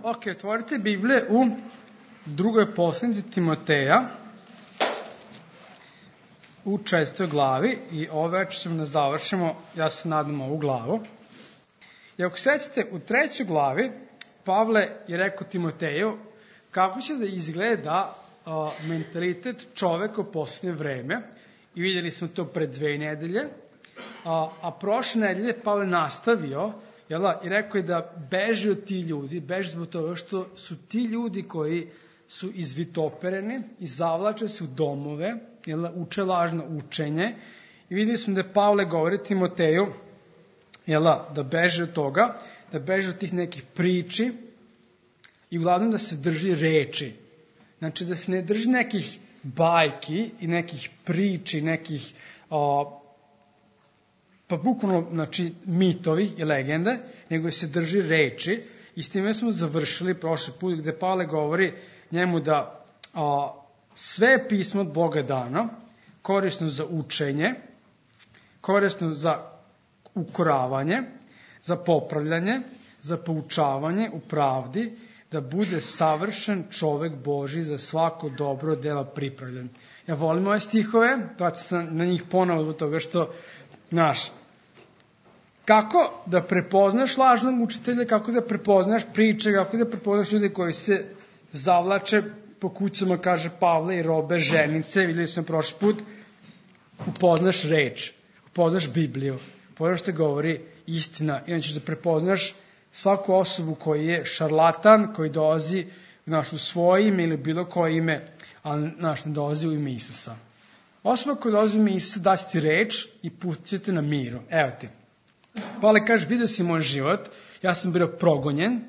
Ok, otvorite Biblije u drugoj poslanici Timoteja u 4. glavi i ove večer ćemo da završimo, ja se nadam, ovu glavu. I ako sećate, u 3. glavi Pavle je rekao Timoteju kako će da izgleda mentalitet čoveka u poslednje vreme i vidjeli smo to pred 2 nedelje, a prošle nedelje Pavle nastavio i rekao je da beži od ti ljudi, beži zbog toga što su ti ljudi koji su izvitopereni i zavlače se u domove, uče lažno učenje. I vidjeli smo da Pavle govori Timoteju da beži od toga, da beži od tih nekih priči i uglavnom da se drži reči. Znači da se ne drži nekih bajki i nekih priči, nekih pa bukvalno, znači, mitovi i legende, nego se drži reči. I s time smo završili prošli put gde Pavle govori njemu da sve je pismo od Boga dano, korisno za učenje, korisno za ukoravanje, za popravljanje, za poučavanje u pravdi, da bude savršen čovek Božji za svako dobro delo pripravljen. Ja volim ove stihove, vraćam se na njih ponovo zbog toga što, znaš, kako da prepoznaš lažnog učitelja, kako da prepoznaš priče, kako da prepoznaš ljude koji se zavlače po kućama, kaže Pavle, i robe, ženice, vidjeli smo prošli put, upoznaš reč, upoznaš Bibliju, upoznaš što govori istina, inače da prepoznaš svaku osobu koji je šarlatan, koji dolazi u svoje ime ili bilo koje ime, ali ne dolazi u ime Isusa. Osoba koja dolazi u ime Isusa da ti reč i pustite na miru. Evo ti. Pavle kaže, vidio si moj život, ja sam bio progonjen,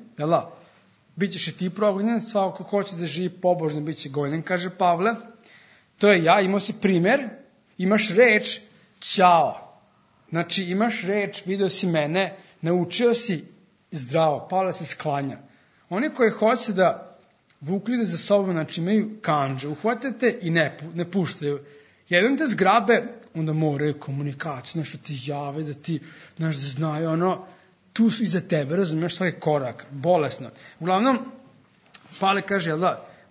bićeš i ti progonjen, svako ko hoće da živi pobožno bit će gonjen, kaže Pavle. To je ja, imao si primer, imaš reč, ćao. Znači imaš reč, vidio si mene, naučio si zdravo, Pavle se sklanja. Oni koji hoće da vuku ljude za sobom, znači imaju kanđe, uhvatate i ne puštaju. Jedan te zgrabe, onda moraju komunikaciju, nešto ti jave, da ti, da znaju, tu su iza tebe, razumiješ svaki korak, bolesno. Uglavnom, Pavle kaže,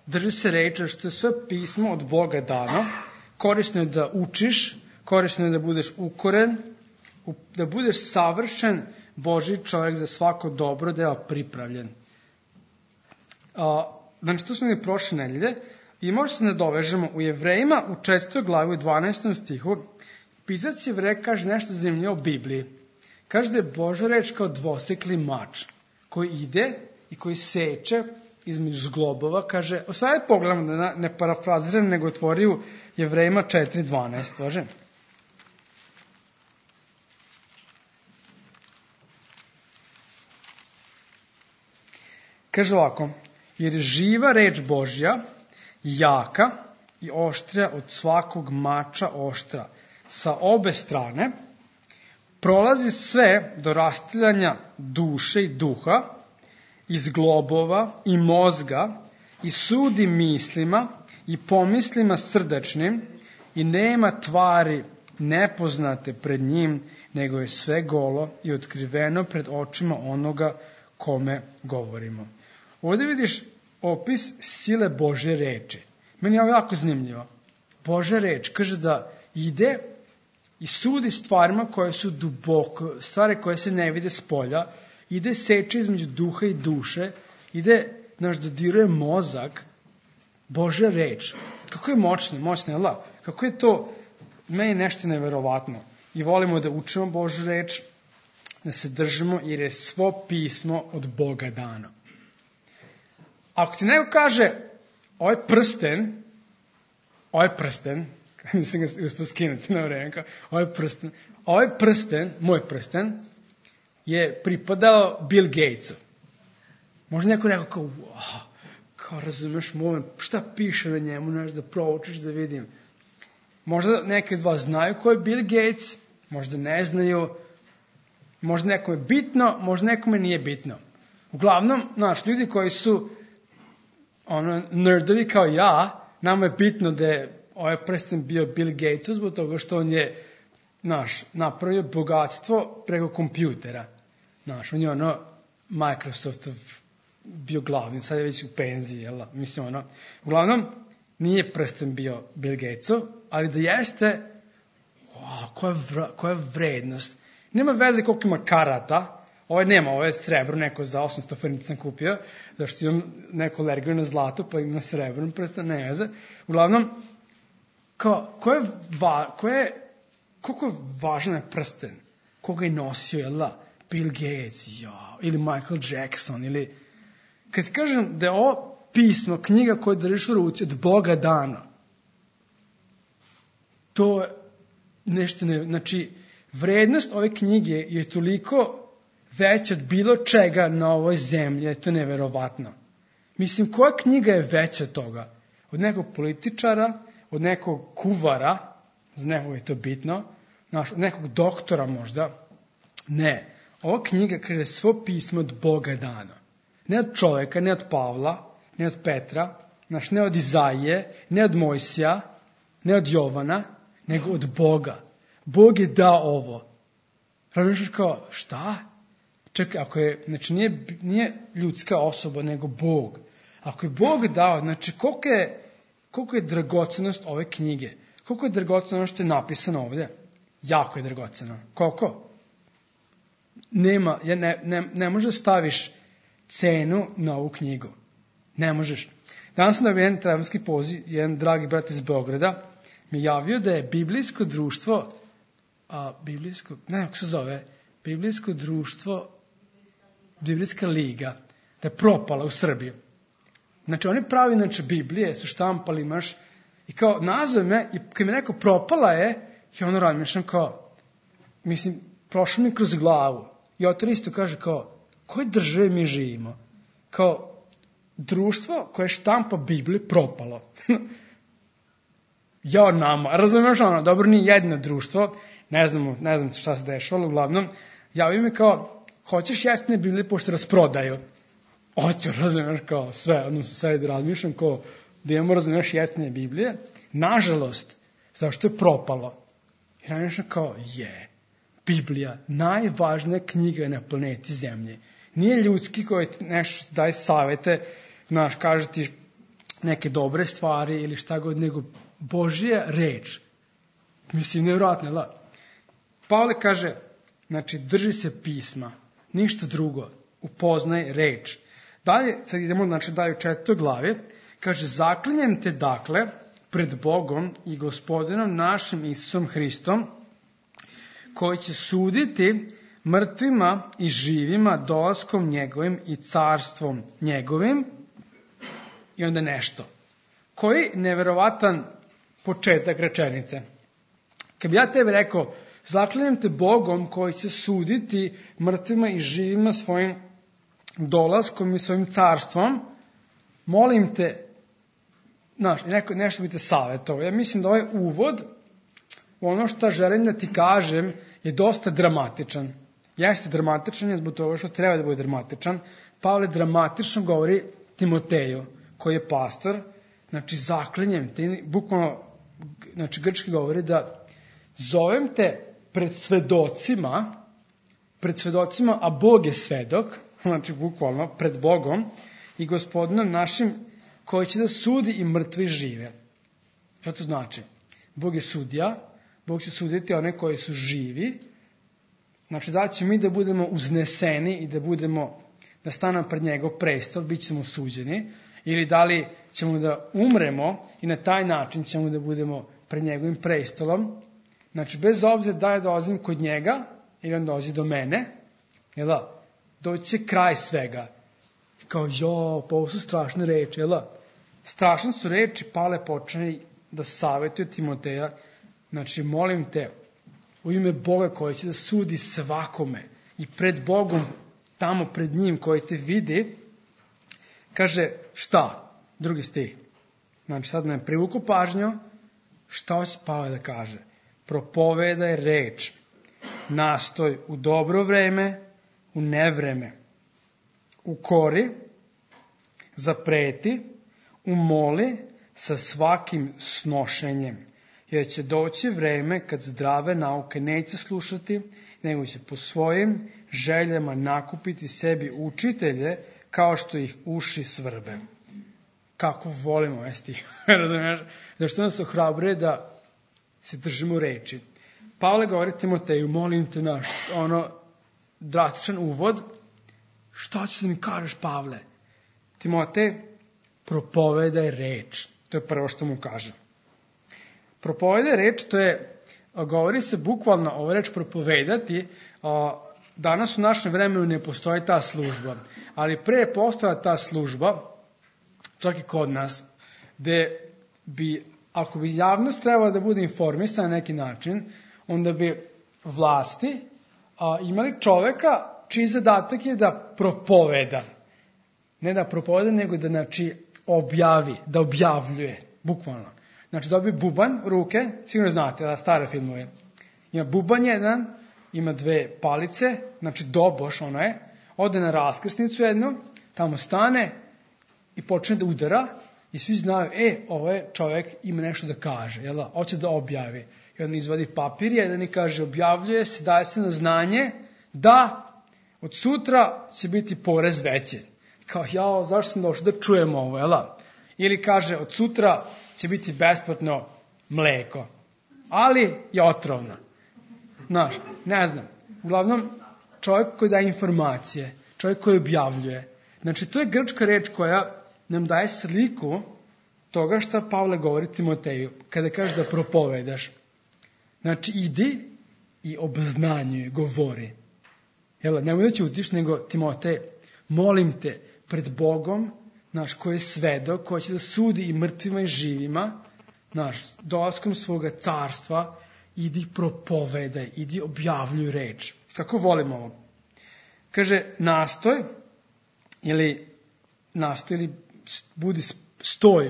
drži se reči, što je sve pismo od Boga dano, korisno je da učiš, korisno je da budeš ukoren, da budeš savršen Božji čovjek za svako dobro delo pripravljen. Znači, tu smo mi prošle nedelje i možda se nadovežemo u Jevrejima u 4. glavi u 12. stihu. Pisac Jevreja kaže nešto zanimljivo o Bibliji. Kaže da je Božja reč kao dvosekli mač koji ide i koji seče između zglobova. Kaže, sada pogledamo da ne parafraziram, nego otvori u Jevrejima 4.12. Važe? Kaže ovako, jer je živa reč Božja jaka i oštrija od svakog mača oštra. Sa obe strane prolazi sve do rastiljanja duše i duha, iz globova i mozga, i sudi mislima i pomislima srdačnim, i nema tvari nepoznate pred njim, nego je sve golo i otkriveno pred očima onoga kome govorimo. Ovdje vidiš opis sile Božje reči. Meni je ovo jako zanimljivo. Božja reč kaže da ide i sudi stvarima koje su duboko, stvari koje se ne vide s polja, ide seče između duha i duše, ide, dodiruje mozak. Božja reč. Kako je moćna, kako je to, meni nešto neverovatno. I volimo da učimo Božju reč, da se držimo, jer je svo pismo od Boga dano. Ako ti neko kaže, ovaj prsten, nisam ga uspio skinuti na vreme, ovaj prsten, moj prsten, je pripadao Bill Gatesu. Možda neko rekao kao razumeš moment, šta piše na njemu, da proučiš, da vidim. Možda neki od vas znaju ko je Bill Gates, možda ne znaju, možda nekome je bitno, možda nekome nije bitno. Uglavnom, ljudi koji su nerdovi kao ja, nama je bitno da je ovaj prsten bio Bill Gatesu zbog toga što on je napravio bogatstvo preko kompjutera. On je Microsoftov bio glavni, sad je već u penziji, jel? Mislim, uglavnom, nije prsten bio Bill Gatesov, ali da jeste, koja vrednost. Nema veze koliko ima karata, ovo je srebro, neko za 800 fernica sam kupio, zašto imam neko alergiju na zlato, pa ima srebrno prsten, ne veze. Uglavnom, koliko je važan je prsten, koga je nosio, jel? Bill Gates, ili Michael Jackson, ili... Kad kažem da je ovo pismo, knjiga koju držiš u ruci od Boga dana, to je nešto znači, vrednost ove knjige je toliko veća od bilo čega na ovoj zemlji, to je neverovatno. Mislim, koja knjiga je veća od toga? Od nekog političara, od nekog kuvara, za nekog je to bitno, od nekog doktora možda. Ne, ova knjiga kaže svo pismo od Boga dana. Ne od čoveka, ne od Pavla, ne od Petra, ne od Izaije, ne od Mojsija, ne od Jovana, nego od Boga. Bog je dao ovo. Razmišljaš kao, šta? Čekaj, znači nije ljudska osoba, nego Bog. Ako je Bog dao, znači koliko je dragocenost ove knjige? Koliko je dragoceno ono što je napisano ovdje? Jako je dragoceno. Koliko? Ne možeš da staviš cenu na ovu knjigu. Ne možeš. Danas sam dobio jedan telefonski poziv, jedan dragi brat iz Beograda mi javio da je biblijsko društvo, kako se zove, biblijsko društvo, biblijska liga, da je propala u Srbiji. Znači, oni pravi, Biblije su štampali, imaš, i kao nazove me, i kad mi neko propala je, i ono razmišljam kao, mislim, prošlo mi kroz glavu. I otar isto kaže kao, koje države mi živimo? Kao, društvo koje štampa Bibliju propalo. Nama, razumiješ dobro, nije jedno društvo, ne znam šta se dešavalo, uglavnom, javio mi kao, hoćeš jeftine Biblije pošto rasprodaju? Hoću, razumiješ, kao sve, sad razmišljam kao, da imamo, razumiješ, jeftine Biblije, nažalost, zašto je propalo? I razmišljam kao, Biblija, najvažnija knjiga na planeti Zemlje. Nije ljudski koji nešto daje savete, kaže ti neke dobre stvari ili šta god, nego Božja reč. Mislim, nevjerojatno, da. Pavle kaže, znači, drži se pisma, ništa drugo, upoznaj reč. Dalje, sad idemo, dalje u 4. glavi, kaže, zaklinjem te, dakle, pred Bogom i Gospodinom našim Isusom Hristom, koji će suditi mrtvima i živima dolaskom njegovim i carstvom njegovim, i onda nešto. Koji neverovatan početak rečenice. Kad bi ja tebi rekao, zaklinjem te Bogom koji će suditi mrtvima i živima svojim dolaskom i svojim carstvom, molim te, nešto bi te savjetovao. Ja mislim da ovaj uvod, ono što želim da ti kažem, je dosta dramatičan. Jeste dramatičan je zbog toga što treba da bude dramatičan. Pavle dramatično govori Timoteju, koji je pastor, znači zaklinjem te, bukvalno, znači grčki govori da zovem te pred svedocima, a Bog je svedok, znači bukvalno pred Bogom i Gospodinom našim koji će da sudi i mrtvi i žive. Što to znači? Bog je sudija, Bog će suditi one koji su živi, znači da će mi da budemo uzneseni i da stanemo pred njegov prestol, bit ćemo suđeni, ili da li ćemo da umremo i na taj način ćemo da budemo pred njegovim prestolom. Znači, bez obzira da je dolazim kod njega ili on dolazi do mene, doći će kraj svega. Kao, pa ovo su strašne reči, strašne su reči, Pavle počne da savjetuje Timoteja, znači, molim te, u ime Boga koji će da sudi svakome i pred Bogom, tamo pred njim koji te vidi, kaže, šta? 2. stih. Znači, sad me privuku pažnju, šta hoće Pavle da kaže? Propovedaj reč, nastoj u dobro vreme, u nevreme, ukori, zapreti, umoli sa svakim snošenjem, jer će doći vreme kad zdrave nauke neće slušati, nego će po svojim željama nakupiti sebi učitelje kao što ih uši svrbe. Kako volimo ovaj stih, razumiješ? Zašto nas ohrabruje da se držimo reči. Pavle govori Timoteju, molim te drastičan uvod, šta ćeš da mi kažeš, Pavle? Timotej, propovedaj reč. To je prvo što mu kaže. Propovedaj reč, govori se bukvalno ovo reč propovedati. Danas u našem vremenu ne postoji ta služba, ali pre je postojala ta služba, čak i kod nas, gde bi, ako bi javnost trebala da bude informisana na neki način, onda bi vlasti imali čoveka čiji zadatak je da propoveda. Ne da propoveda, nego da objavi, da objavljuje, bukvalno. Znači dobije bubanj u ruke, sigurno znate, da stare filmove. Ima bubanj jedan, ima dve palice, znači doboš ono je, ode na raskrsnicu jednu, tamo stane i počne da udara i svi znaju, ovo je čovjek ima nešto da kaže, jel da, hoće da objavi. I on izvadi papir jedan i kaže, objavljuje se, daje se na znanje da od sutra će biti porez veći. Kao, zašto sam došao da čujem ovo, jel da? Ili kaže, od sutra će biti besplatno mleko, ali je otrovno. Znaš, ne znam. Uglavnom, čovjek koji daje informacije, čovjek koji objavljuje. Znači, to je grčka reč koja nam daje sliku toga što Pavle govori Timoteju, kada kaže da propovedaš. Znači, idi i obznanjuj, govori. Jel, nemoj da ćutiš, nego Timotej, molim te, pred Bogom, koji je svedok, koji će da sudi i mrtvima i živima, dolaskom svoga carstva, idi propovedaj, idi objavljuj reč. Kako volimo ovo? Kaže, nastoj ili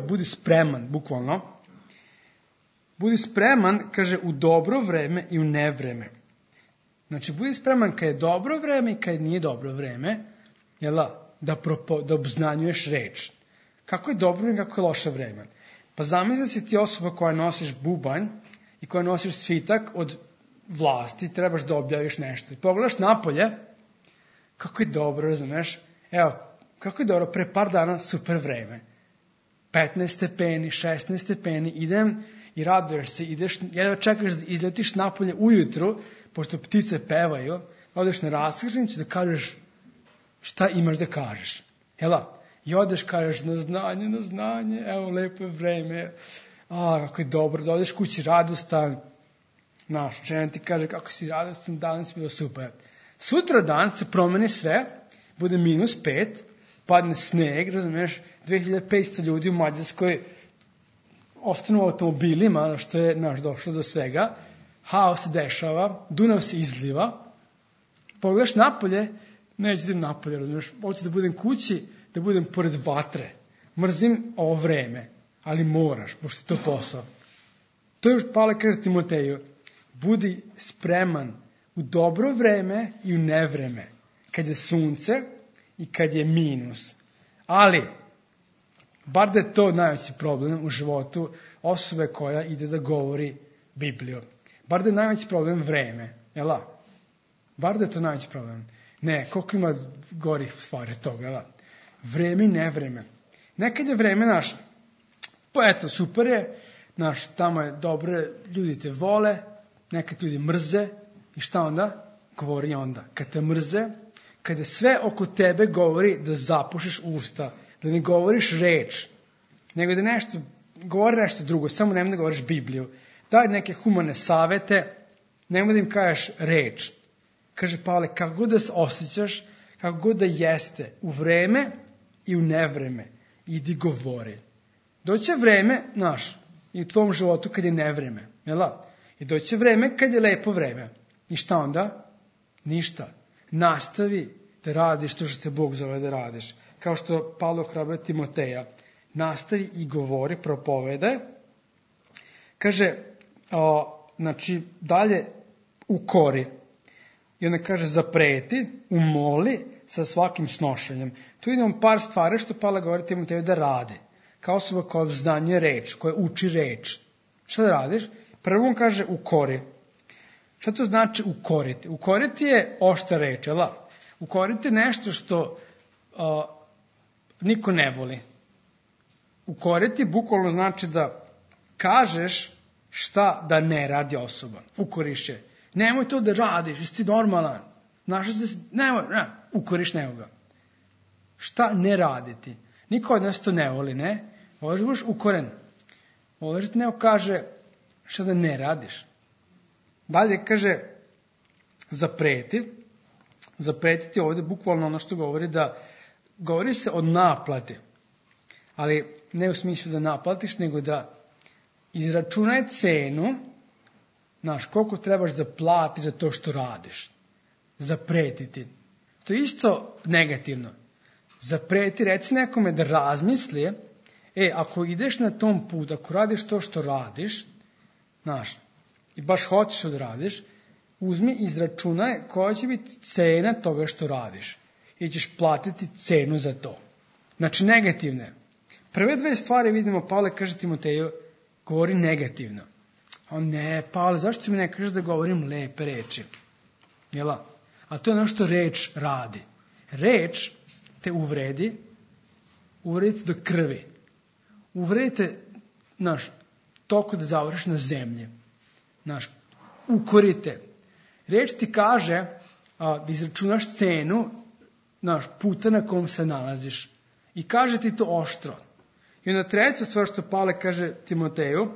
budi spreman, bukvalno. Budi spreman, kaže, u dobro vreme i u nevreme. Znači, budi spreman kad je dobro vreme i kad nije dobro vreme, da obznanjuješ reč. Kako je dobro i kako je loše vreme? Pa zamisli si ti osoba koja nosiš bubanj i koja nosiš svitak od vlasti, trebaš da objaviš nešto. I pogledaš napolje, kako je dobro, razumeš? Evo, kako je dobro, pre par dana super vreme. 15 stepeni, 16 stepeni, idem i raduješ se, jedva čekaš da izletiš napolje ujutru, pošto ptice pevaju, odeš na raskrsnicu da kažeš šta imaš da kažeš. I odeš, kažeš na znanje, evo, lepo je vreme, kako je dobro, da odeš kući radostan, žena ti kaže kako si radostan, danas bilo super. Sutra dan se promeni sve, bude -5, padne sneg, razumiješ, 2500 ljudi u Mađarskoj ostanu u automobilima, što je došlo do svega, haos se dešava, Dunav se izliva, pogledaš napolje, neću da idem napolje, razumiješ, hoću da budem kući, da budem pored vatre. Mrzim ovo vreme, ali moraš, pošto je to posao. To još Pavle kaže Timoteju, budi spreman u dobro vreme i u nevreme, kad je sunce i kad je minus. Ali, bar da je to najveći problem u životu osobe koja ide da govori Bibliju. Bar da je najveći problem vreme, jel da? Bar da je to najveći problem. Ne, koliko ima gorih stvari od toga, jel da? Vreme i nevreme. Nekad je vreme pa eto, super je, tamo je dobro, ljudi te vole, nekad ljudi mrze, i šta onda? Govori onda. Kad te mrze, kada sve oko tebe govori da zapušiš usta, da ne govoriš reč, nego da govori nešto drugo, samo nemoj da govoriš Bibliju. Daj neke humane savete, nemoj da im kažeš reč. Kaže Pavle, kako god da se osjećaš, kako god da jeste, u vreme i u nevreme, idi govori. Doće vreme, i u tvom životu kad je nevreme, jel da? I doće vreme kad je lepo vreme. I šta onda? Ništa. Nastavi da radiš to što te Bog zove da radiš. Kao što Pavle ohrabruje Timoteja. Nastavi i govori, propovedaj. Kaže, dalje ukori. I onda kaže zapreti, umoli sa svakim snošenjem. Tu idemo par stvari što Pavle govori Timoteju da radi. Kao osoba koja obznanjuje reč, koja uči reč. Šta da radiš? Prvo on kaže ukori. Šta to znači ukoriti? Ukoriti je oštra reč, jel? Ukoriti je nešto što niko ne voli. Ukoriti bukvalno znači da kažeš šta da ne radi osoba. Ukoriš je. Nemoj to da radiš, jesi ti normalan. Ukoriš nekoga. Šta ne raditi? Niko od nas to ne voli, ne? Voliš da budeš ukoren. Voliš da neko kaže šta da ne radiš. Dalje kaže zapreti. Zapretiti ovdje bukvalno ono što govori se o naplati. Ali ne u smislu da naplatiš, nego da izračunaj cenu, koliko trebaš da platiš za to što radiš. Zapretiti. To je isto negativno. Zapreti, reci nekome da razmisli, ako ideš na tom put, ako radiš to što radiš, i baš hoćeš da radiš, uzmi i izračunaj koja će biti cena toga što radiš. I ćeš platiti cenu za to. Znači negativne. Prve dve stvari vidimo, Pavle kaže Timoteju, govori negativno. Ne, Pavle, zašto mi ne kažeš da govorim lepe reči? Jela? A to je ono što reč radi. Reč te uvredi do krvi. Uvredite, toliko da završiš na zemlji. Ukorite. Reč ti kaže da izračunaš cenu puta na kom se nalaziš. I kaže ti to oštro. I onda treća stvar što Pavle kaže Timoteju,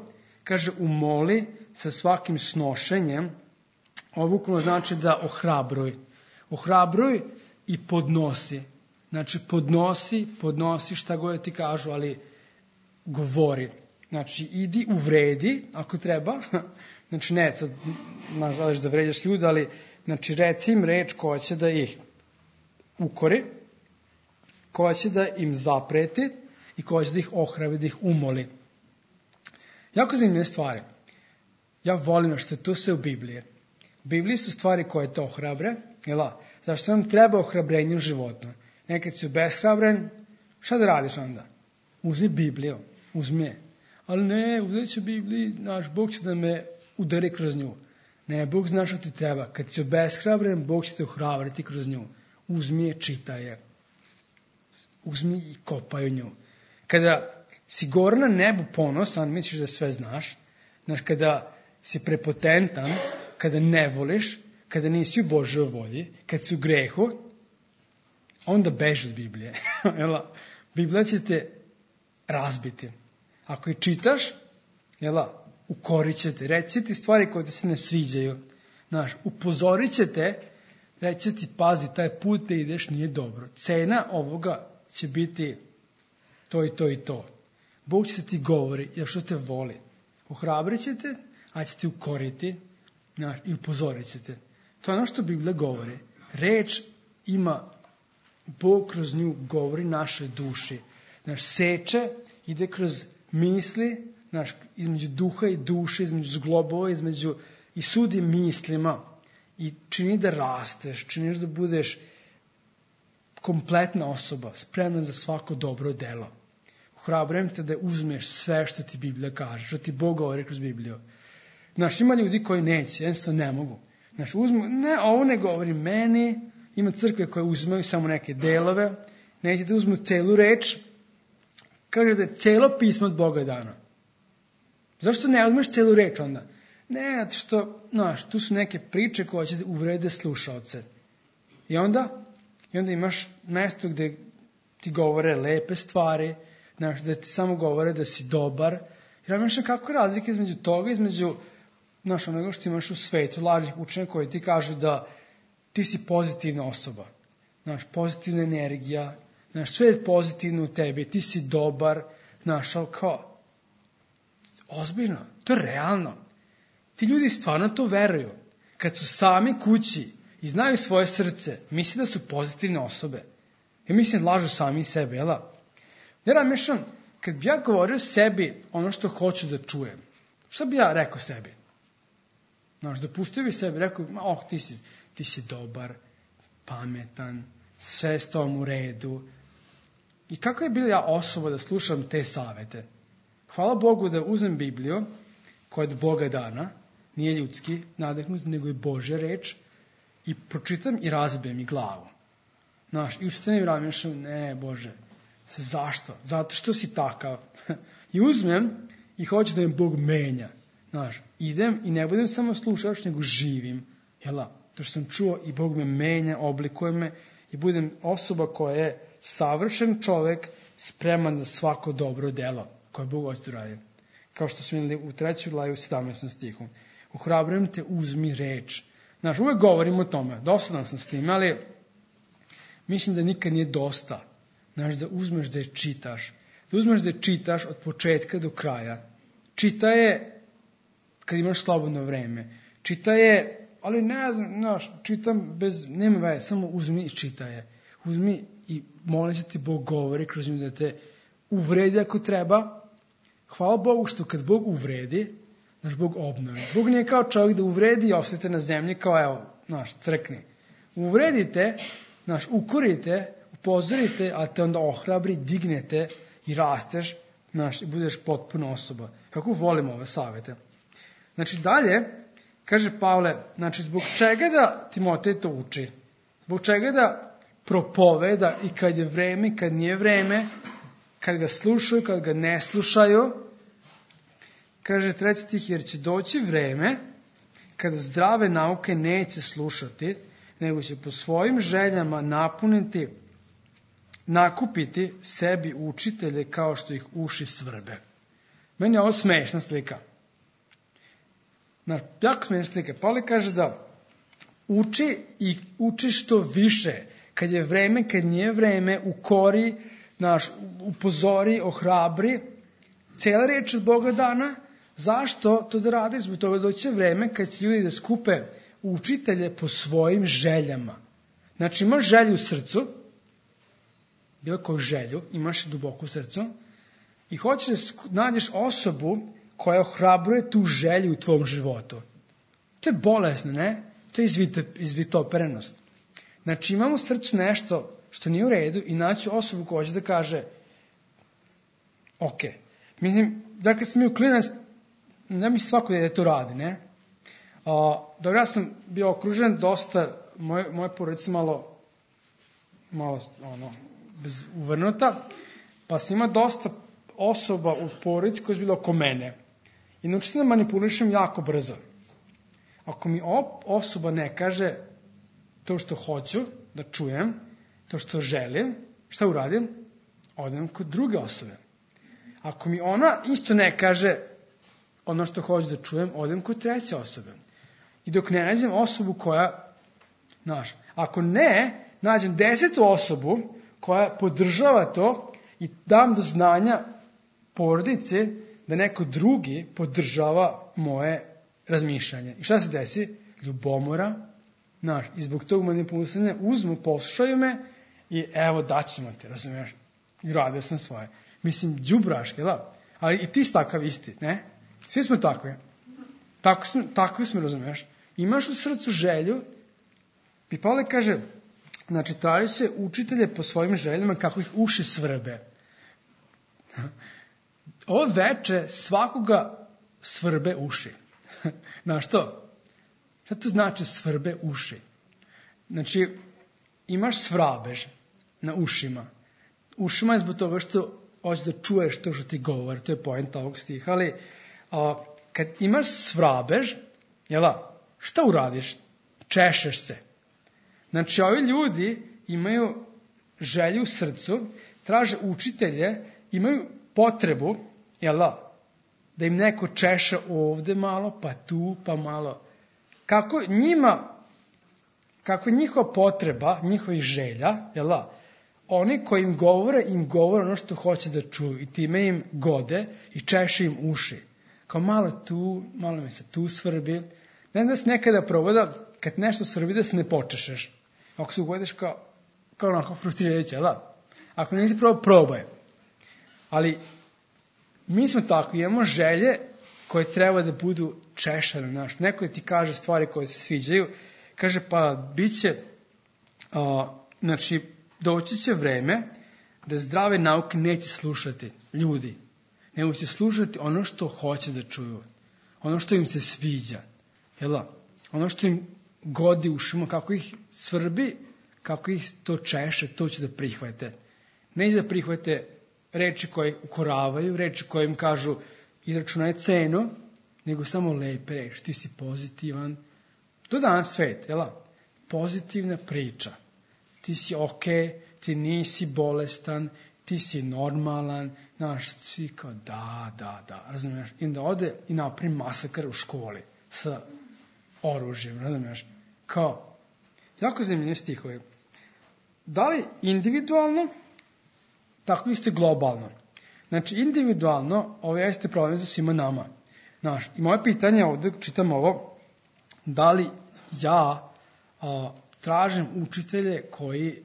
kaže umoli sa svakim snošenjem. Ovo bukvalno znači da ohrabruj. Ohrabruj i podnosi. Znači podnosi šta god ti kažu, ali govori. Znači idi uvredi ako treba. Znači ne, sad želiš da vređaš ljude, ali znači reci im reč koja će da ih ukori, koja će da im zapreti i koja će da ih ohrabri, da ih umoli. Jako zanimljive stvari. Ja volim što je to sve u Bibliji. U Bibliji su stvari koje te ohrabre. Zašto nam treba ohrabrenje u životu? Nekad si obeshrabren, šta da radiš onda? Uzmi Bibliju, uzmi je. Ali ne, uzet ću Bibliju, Bog će da me udari kroz nju. Ne, Bog zna što ti treba. Kad si obeshrabren, Bog će te ohrabriti kroz nju. Uzmi je, čitaj je. Uzmi i kopaj u nju. Kada si gore na nebu ponosan, misliš da sve znaš. Kada si prepotentan, kada ne voliš, kada nisi u Božoj volji, kad si u grehu, onda beži od Biblije. Biblija će te razbiti. Ako je čitaš, ukorit će te. Reći ti stvari koje ti se ne sviđaju. Upozorit će te, reći ti, pazi, taj put da ideš nije dobro. Cena ovoga će biti to i to i to. Bog će ti govori, jer što te voli. Ohrabrit će te, a će ti ukoriti i upozorit će te. To je ono što Biblija govori. Reč ima, Bog kroz nju govori našoj duši. Seče ide kroz misli, između duha i duše, između zglobova, i sudi mislima. I čini da rasteš, činiš da budeš kompletna osoba, spremna za svako dobro delo. Ohrabrujem te da uzmeš sve što ti Biblija kaže, što ti Bog govori kroz Bibliju. Ima ljudi koji neće, jednostavno ne mogu. Ovo ne govori meni, ima crkve koje uzmeju samo neke delove, neće da uzmu celu reč, kaže da je celo pismo od Boga dano. Zašto ne uzmeš celu reč onda? Ne, što, tu su neke priče koje će da uvrede slušaoce. I onda imaš mesto gde ti govore lepe stvari, da ti samo govore da si dobar. Jer imaš kako razlike između toga, između onoga što imaš u svetu, lažnih učenja koji ti kažu da ti si pozitivna osoba. Pozitivna energija, sve je pozitivno u tebi, ti si dobar, ali kao, ozbiljno, to je realno. Ti ljudi stvarno to veruju. Kad su sami kući i znaju svoje srce, misle da su pozitivne osobe. Ja mislim lažu sami sebe, jel? Ja razmišljam, kad bi ja govorio sebi ono što hoću da čujem, šta bi ja rekao sebi? Dopustio bi sebi, rekao, ti si dobar, pametan, sve s tom u redu. I kako je bila ja osoba da slušam te savete? Hvala Bogu da uzmem Bibliju, koja je od Boga dana, nije ljudski nadahnut, nego je Božja reč, i pročitam i razbijem i glavu. I ustanem i razmišljam, ne, Bože, Zašto? Zato što si takav. I uzmem i hoću da me Bog menja. Znaš, idem i ne budem samo slušač, nego živim. To što sam čuo i Bog me menja, oblikuje me i budem osoba koja je savršen čovek, spreman za svako dobro delo koje Bog hoće da radi. Kao što smo imali u 3. glavi u 17. stihu. Ohrabrujem te, uzmi reč. Znaš, uvek govorim o tome, dosadan sam s tim, ali mislim da nikad nije dosta. Znaš, da uzmeš da je čitaš. Da uzmeš da je čitaš od početka do kraja. Čita je kad imaš slobodno vreme. Čita je, ali ne znam, znaš, čitam bez, nema veze, samo uzmi i čitaj je. Uzmi i molim se ti Bog govori kroz nju da te uvredi ako treba. Hvala Bogu što kad Bog uvredi, znaš, Bog obnovi. Bog nije kao čovjek da uvredi i ostajete na zemlji kao, evo, znaš, crkni. Uvredite, znaš, ukorite, upozorite, a te onda ohrabri, dignete i rasteš, znaš, i budeš potpuno osoba. Kako volim ove savete. Znači, dalje, kaže Pavle, znači, zbog čega da Timotej to uči? Zbog čega da propoveda i kad je vreme i kad nije vreme, kad ga slušaju, kad ga ne slušaju? Kaže 3. stih, jer će doći vreme kada zdrave nauke neće slušati, nego će po svojim željama nakupiti sebi učitelje kao što ih uši svrbe. Meni je ovo smešna slika. Jako smešna slika. Pavle kaže da uči i uči što više. Kad je vreme, kad nije vreme, ukori, upozori, ohrabri. Cijela reč od Boga dana. Zašto to da radiš? Zbog toga doće vreme kad će ljudi da skupe učitelje po svojim željama. Znači imaš želju u srcu, bilo koju želju, imaš duboko u srcu, i hoćeš da nađeš osobu koja ohrabruje tu želju u tvom životu. To je bolesno, ne? To je izvitoperenost. Znači imamo u srcu nešto što nije u redu i naći osobu koja hoće da kaže ok. Mislim, da kad sam bio klinac, ne mi svako da to radi, ne? Dobro, ja sam bio okružen dosta, moje porodice malo uvrnuta, pa sam ima dosta osoba u porodici koje su bilo oko mene. I naučio sam da manipulišem jako brzo. Ako mi osoba ne kaže to što hoću da čujem, to što želim, šta uradim? Odem kod druge osobe. Ako mi ona isto ne kaže ono što hoću da čujem, odem kod treće osobe. I dok ne nađem osobu koja, ako ne, nađem 10. osobu koja podržava to i dam do znanja porodice da neko drugi podržava moje razmišljanje. I šta se desi? Ljubomora, i zbog tog manipulisanja uzmu, poslušaju me i evo daćemo te, razumiješ? I radio sam svoje. Mislim, đubraške, da? Ali i ti si takav isti, ne? Svi smo takvi. Takvi smo, razumiješ? Imaš u srcu želju, i Pavle kaže, znači, traži se učitelje po svojim željama kako ih uši svrbe. Ovo veče svakoga svrbe uši. Znaš što? Šta to znači svrbe uši? Znači, imaš svrabež na ušima. Ušima je zbog toga što hoćeš da čuješ to što ti govori, to je poenta ovog stiha, ali kad imaš svrabež, šta uradiš? Češeš se. Znači, ovi ljudi imaju želju u srcu, traže učitelje, imaju potrebu, da im neko češa ovde malo, pa tu, pa malo. Kako njihova potreba, njihovih želja, oni koji im govore ono što hoće da čuju i time im gode i češe im uši. Kao malo tu, malo mi se tu svrbi. Ne da se nekada provoda, kad nešto svrbi da se ne počešeš. Ako se ugodiš kao onako frustrirajuće, Ako nisi probaj. Ali mi smo tako, imamo želje koje treba da budu češane. Neko ti kaže stvari koje se sviđaju, kaže pa bit će, doći će vreme da zdrave nauke neće slušati ljudi, nego će slušati ono što hoće da čuju, ono što im se sviđa, ono što im godi ušima, kako ih svrbi, kako ih to češe, to će da prihvate. neće da prihvate reči koje ukoravaju, reči koje im kažu izračunaj cenu, nego samo lepe reči. Ti si pozitivan. To je danas svet, jel? Pozitivna priča. Ti si okej, ti nisi bolestan, ti si normalan, znaš, svi kao da, razumiješ? I onda ode i napravi masakar u školi sa oružjem, razumiješ? Kao, jako zanimljivi stihovi. Da li individualno, tako isto i globalno. Znači, individualno, ovo jeste problem za svima nama. Znaš, i moje pitanje ovdje, čitam ovo, da li ja tražim učitelje koji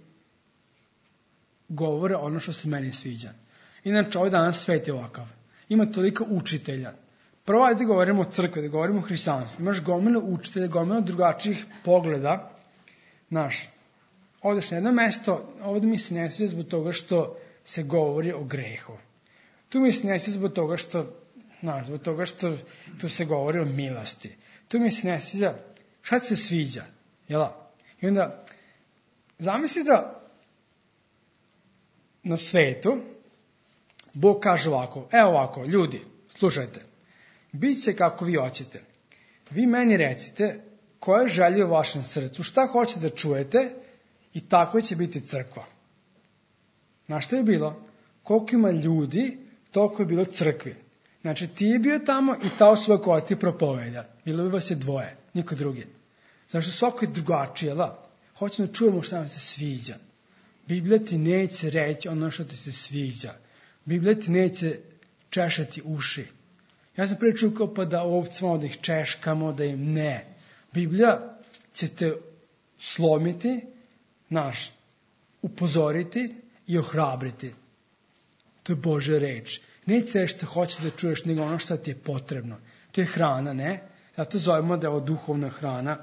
govore ono što se meni sviđa. Inače, ovaj danas svet je ovakav. Ima toliko učitelja. Prvo, ajde govorimo o crkvi, da govorimo o hrišćanstvu. Imaš gomilu učitelja, gomilu drugačijih pogleda. Znaš, odeš na jedno mesto, ovdje mi se ne sviđa zbog toga što se govori o grehu. Tu mi se ne sviđa zbog toga što tu se govori o milosti. Tu mi se ne sviđa, šta se sviđa? Jela? I onda, zamisli da na svetu Bog kaže ovako, evo ovako, ljudi, slušajte, bit će kako vi hoćete. Vi meni recite koje želje u vašem srcu, šta hoćete da čujete i tako će biti crkva. Znaš šta je bilo? Koliko ima ljudi, toliko je bilo crkvi. Znači ti je bio tamo i ta osoba koja ti propovedja. Bilo bi vas je dvoje, niko drugi. Znači svako je drugačije, da? Hoćemo da čujemo šta nam se sviđa. Biblija ti neće reći ono što ti se sviđa. Biblija ti neće češati uši. Ja sam prije čuo kao pa da ovcima, da ih češkamo, da im ne. Biblija će te slomiti, upozoriti i ohrabriti. To je Božja reč. Neće reći što hoćeš da čuješ, nego ono što ti je potrebno. To je hrana, ne? Zato zovemo da je ovo duhovna hrana,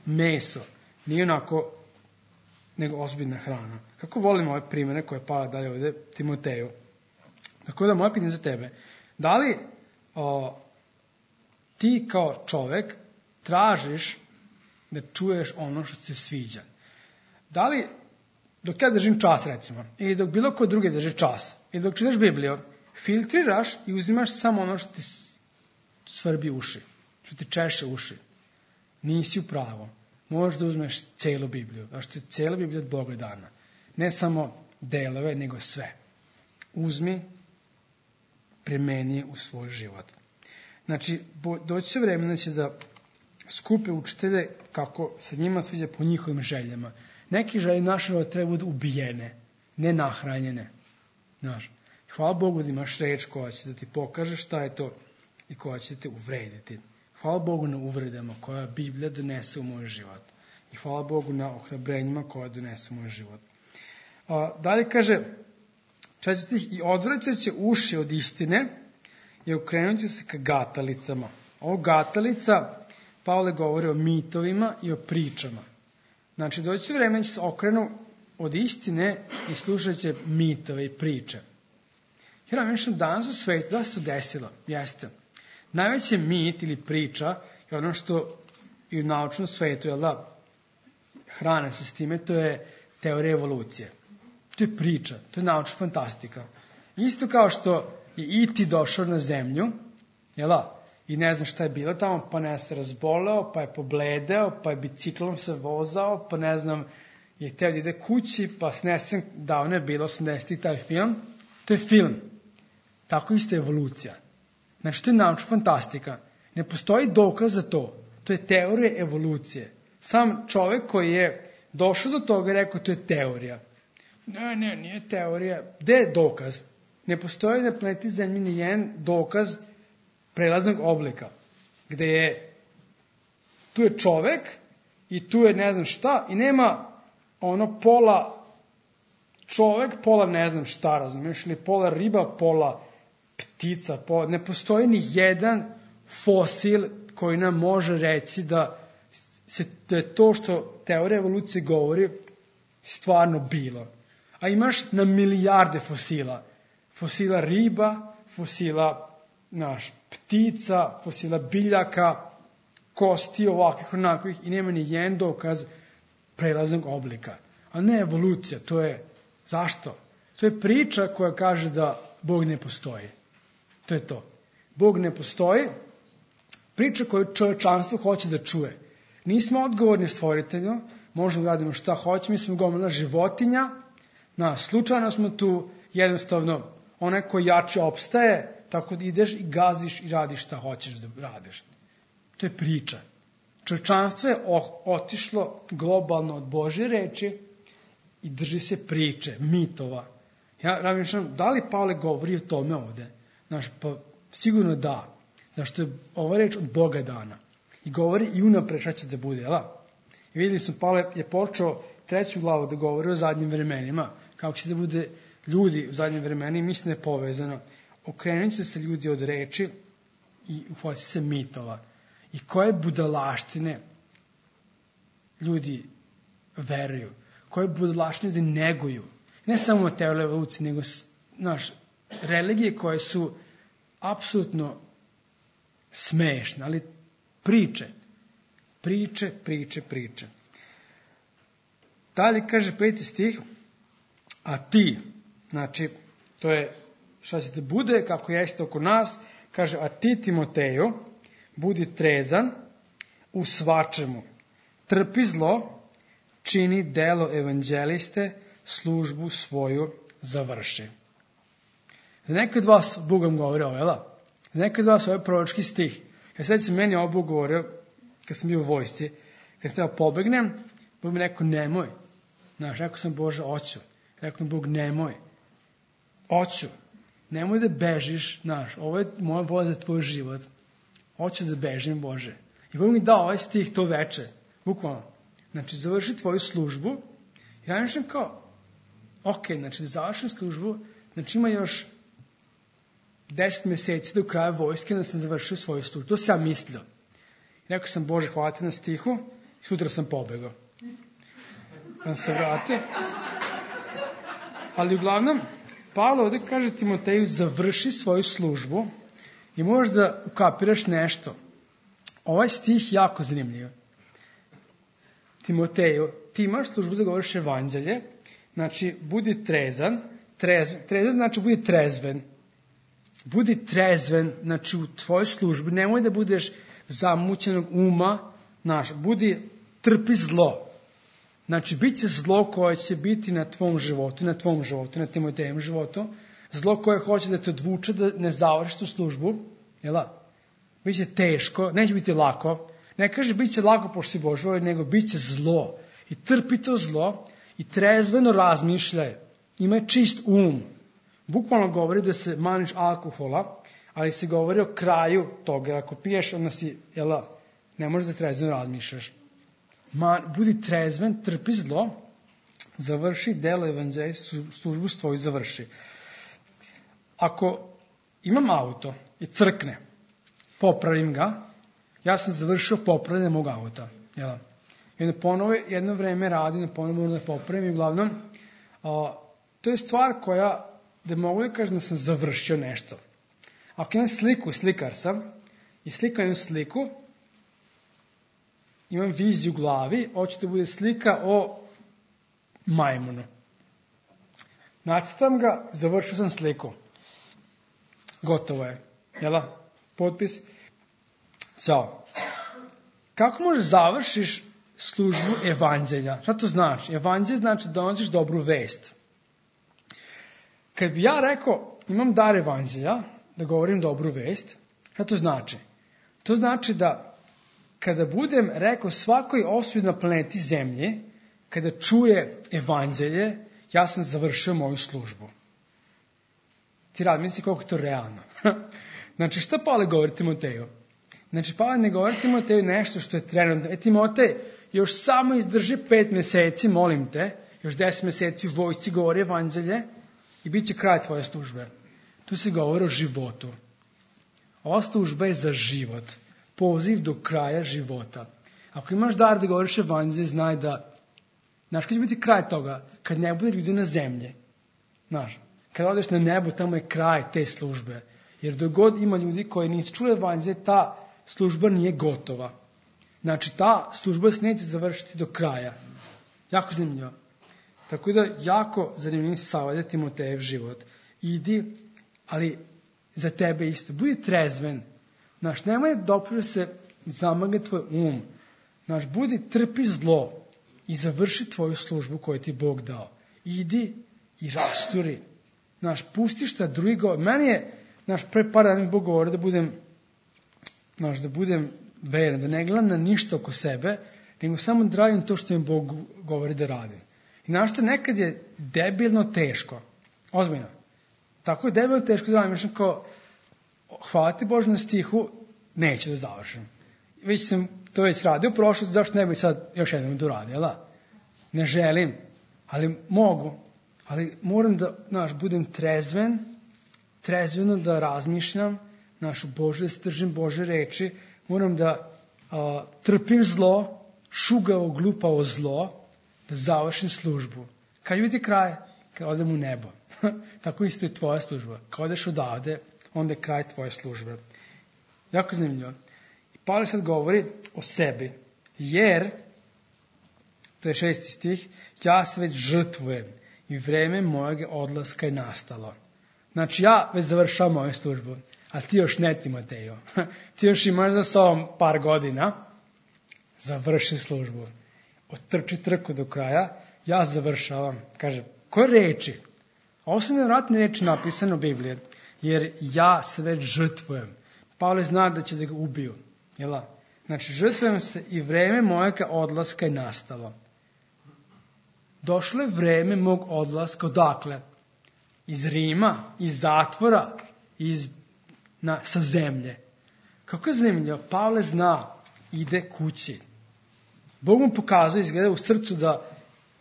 meso. Nije onako, nego ozbiljna hrana. Kako volimo ove primjere koje Pavle daje ovdje Timoteju. Tako da moje pitanje za tebe. Da li ti kao čovjek tražiš da čuješ ono što se sviđa? Da li, dok ja držim čas recimo, ili dok bilo ko drugi drži čas, ili dok čitaš Bibliju, filtriraš i uzimaš samo ono što ti svrbi uši, što ti češe uši. Nisi u pravu. Možeš da uzmeš celu Bibliju, zato što je cela Biblija od Boga dana. Ne samo delove, nego sve. Uzmi, primeni u svoj život. Znači, doći će vremena će da skupe učitelje kako se njima sviđa po njihovim željama. Neki želje naše treba da ubijene, ne nahranjene. Znaš, hvala Bogu da imaš reč koja će da ti pokaže šta je to i koja će te uvrediti. Hvala Bogu na uvredama koja Biblija donese u moj život. I hvala Bogu na ohrabrenjima koja donese u moj život. Dalje kaže, i odvraćat će uši od istine i okrenut će se ka gatalicama. Ovo gatalica, Pavle govori o mitovima i o pričama. Znači, doći vreme će se okrenu od istine i slušat će mitove i priče. Jer mislim, danas u svijetu, da se to desilo? Jeste. Najveći mit ili priča je ono što i u naučnom svijetu, hrane se s time, to je teorija evolucije. To je priča, to je naučna fantastika. Isto kao što je E.T. došao na zemlju, i ne znam šta je bilo tamo, pa ne se razboleo, pa je pobledeo, pa je biciklom se vozao, pa ne znam, je teo da ide kući, pa snesen, davno je bilo 80. taj film. To je film. Tako isto je evolucija. Znači, to je naučna fantastika. Ne postoji dokaz za to. To je teorija evolucije. Sam čovjek koji je došao do toga i rekao, to je teorija. Ne, nije teorija. Gde je dokaz? Ne postoji na planeti Zemlji ni jedan dokaz prelaznog oblika. Gde je, tu je čovjek i tu je ne znam šta i nema ono pola čovjek, pola ne znam šta, razumiješ, ili pola riba, pola ptica, ne postoji ni jedan fosil koji nam može reći da je to što teorija evolucije govori stvarno bilo. A imaš na milijarde fosila. Fosila riba, fosila ptica, fosila biljaka, kosti ovakvih onakvih i nema ni jedan dokaz prelaznog oblika. A ne evolucija, to je zašto? To je priča koja kaže da Bog ne postoji. To je to. Bog ne postoji. Priča koju čovječanstvo hoće da čuje. Nismo odgovorni stvoritelju, možemo da radimo šta hoćemo, mi smo gomila životinja, slučajno smo tu, jednostavno, onaj koji jače opstaje, tako da ideš i gaziš i radiš šta hoćeš da radiš. To je priča. Čovječanstvo je otišlo globalno od Božje reči i drži se priče, mitova. Ja razmišljam, da li Pavle govori o tome ovde? Pa sigurno da. Zašto je ova reč od Boga dana. I govori i unapred šta će da bude, jel? I vidjeli smo, Pavle je počeo 3. glavu da govori o zadnjim vremenima, kako će da bude ljudi u zadnjim vremenima, i mislim da je povezano. Okrenut će se ljudi od reči i uhvati se mitova. I koje budalaštine ljudi veruju, koje budalaštine ljudi neguju. Ne samo teorije evolucije, nego religije koje su apsolutno smešne, ali priče. Dalje kaže 5. stih, a ti, znači, to je šta će da bude, kako jeste oko nas, kaže, a ti, Timoteju, budi trezan u svačemu, trpi zlo, čini delo evanđeliste, službu svoju završi. Za neke od vas Bog vam govori ovo, jel? Za neke od vas ovo je proročki stih. Ja sad se meni ovo Bog govorio, kad sam bio u vojsci, kad sam treba pobegnem, Bog mi rekao, nemoj. Rekao sam, Bože, oću. Rekao mi Bog, nemoj. Oću. Nemoj da bežiš, ovo je moja volja za tvoj život. Hoću da bežim, Bože. I Bog mi dao ovaj stih to veče. Bukvalno. Znači, završi tvoju službu. I ja mislim kao, znači, da završim službu, znači ima još 10 meseci do kraja vojske da sam završio svoju službu. To sam ja mislio. I rekao sam, Bože, hvala te na stihu. I sutra sam pobegao. Da se vrati. Ali uglavnom, Pavle ovdje kaže Timoteju, završi svoju službu i možeš da ukapiraš nešto. Ovaj stih jako zanimljiv. Timoteju, ti imaš službu da govoriš evanđelje, znači budi trezan, trezan znači budi trezven. Budi trezven, znači u tvojoj službi, nemoj da budeš zamućenog uma, trpi zlo. Znači, bit će zlo koje će biti na tvom životu, na Timotejem životu, zlo koje hoće da te odvuče, da ne završiš tu službu, jel? Biće teško, neće biti lako. Ne kaže bit će lako pošto si Božji, nego bit će zlo. I trpi to zlo i trezveno razmišljaj. Imaj čist um. Bukvalno govori da se maniš alkohola, ali se govori o kraju toga. Ako piješ, onda si, jel, ne možeš da trezveno razmišljaš. Budi trezven, trpi zlo, završi delo evanđelja, službu svoju završi. Ako imam auto i crkne, popravim ga, ja sam završio popravljanje mog auta. Jel? I onda ponovo jedno vreme radim, ponovo moram da popravim i uglavnom, to je stvar koja, da mogu da kažem da sam završio nešto. Ako imam sliku, slikar sam, i slikam jednu sliku, imam viziju u glavi, hoću da bude slika o majmunu. Nacrtam ga, završio sam sliku. Gotovo je. Jel? Potpis. Ćao. Kako možeš završiš službu evanđelja? Šta to znači? Evanđelj znači da donosiš dobru vest. Kad bi ja rekao, imam dar evanđelja, da govorim dobru vest, šta to znači? To znači da kada budem rekao svakoj osobi na planeti Zemlje, kada čuje evanđelje, ja sam završio moju službu. Ti misli koliko je to realno. Znači, šta Pavle govori Timoteju? Znači, Pavle ne govori Timoteju nešto što je trenutno. Timotej, još samo izdrži 5 meseci, molim te, još 10 meseci u vojsci govori evanđelje i bit će kraj tvoje službe. Tu se govori o životu. Ova služba je za život. Poziv do kraja života. Ako imaš dar da govoriš evanđelje, znaj da, znaš, kad će biti kraj toga, kad ne bude ljudi na zemlji, znaš, kad odeš na nebo, tamo je kraj te službe. Jer dok god ima ljudi koji nisu čuli evanđelje, ta služba nije gotova. Znači, ta služba se neće završiti do kraja. Jako zanimljivo. Tako da jako zanimljiv savjet Timotejev život. Idi, ali za tebe isto. Budi trezven. Znaš, nemoj da se zamagne tvoj um. Znaš, trpi zlo i završi tvoju službu koju ti Bog dao. Idi i rasturi. Znaš, pusti šta drugi govori. Meni je, pre par dana Bog govori da budem veran, da ne gledam na ništa oko sebe, nego samo da radim to što mi Bog govori da radim. I znaš šta, nekad je debilno teško. Ozbiljno. Tako je debilno teško da radim. Mislim kao, hvala ti Bože na stihu, neću da završim. Već sam to radio u prošlosti, zašto ne bi sad još jednom da uradim, jel da? Ne želim, ali mogu. Ali moram da, budem trezveno da razmišljam, Bože, da se držim Bože reči, moram da trpim zlo, šugavo, glupavo zlo, da završim službu. Kad vidi kraj, kad odem u nebo. Tako isto je tvoja služba. Kad odeš odavde, onda je kraj tvoje službe. Jako zanimljivo. I Pavle sad govori o sebi, jer, to je 6. stih, ja se već žrtvujem i vreme mojeg odlaska je nastalo. Znači, ja već završavam moju službu, a ti još ne, Timotejo. Ti još imaš za sobom par godina, završi službu. Otrči trku do kraja, ja završavam. Kaže, koje reči? Ovo su nevratne reči napisane u Bibliji, jer ja se već žrtvujem. Pavle zna da će da ga ubiju. Jel? Znači, žrtvujem se i vreme mojega odlaska je nastalo. Došlo je vreme mog odlaska, odakle? Iz Rima, iz zatvora, sa zemlje. Kako je zanimljivo, Pavle zna, ide kući. Bog mu pokazuje, izgleda u srcu da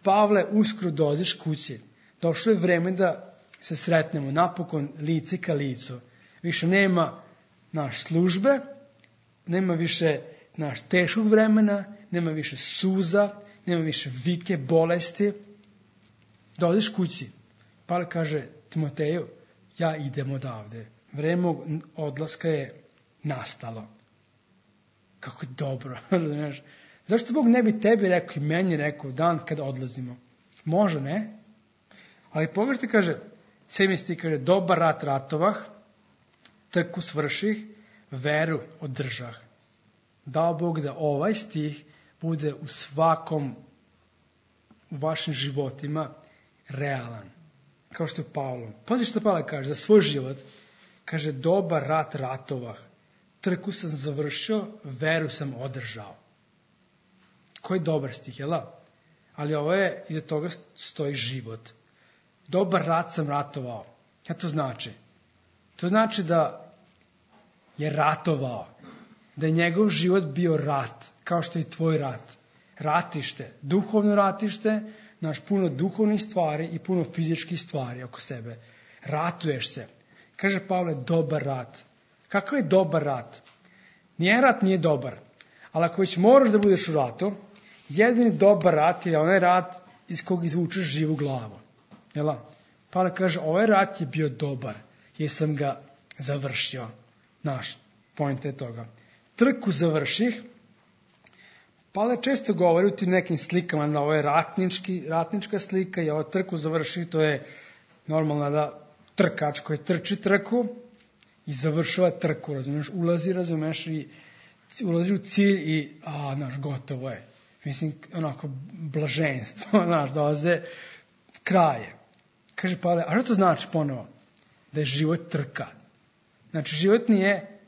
Pavle, uskoro dođeš kući. Došlo je vreme da se sretnemo, napokon lice ka licu. Više nema službe, nema više teškog vremena, nema više suza, nema više vike, bolesti. Dođeš kući. Pavle kaže, Timoteju, ja idem odavde. Vreme odlaska je nastalo. Kako je dobro. Zašto Bog ne bi tebi rekao i meni rekao dan kada odlazimo? Može, ne? Ali pogledajte, kaže, 7. stih kaže, dobar rat ratovah, trku svrših, veru održah. Dao Bog da ovaj stih bude u vašim životima realan. Kao što je Pavlo. Pazi što Pavle kaže za svoj život. Kaže, dobar rat ratovah, trku sam završio, veru sam održao. Koji dobar stih, jel da? Ali ovo je, iza toga stoji život. Dobar rat sam ratovao. Šta to znači? To znači da je ratovao. Da je njegov život bio rat, kao što je i tvoj rat. Ratište, duhovno ratište, puno duhovnih stvari i puno fizičkih stvari oko sebe. Ratuješ se. Kaže Pavle, dobar rat. Kakav je dobar rat? Nijedan rat nije dobar. Ali ako već moraš da budeš u ratu, jedini dobar rat je onaj rat iz kog izvučeš živu glavu. Jel? Pavle kaže, ovaj rat je bio dobar, jer sam ga završio. Point je toga. Trku završih. Pavle često govori u tim nekim slikama, da ovo je ratnička slika i ovo trku završih, to je normalno da trkač koji trči trku i završava trku, razumiješ, ulazi u cilj i, gotovo je. Mislim, onako, blaženstvo, dolaze kraje. Kaže Pavle, a što to znači ponovo? Da je život trka. Znači, život nije,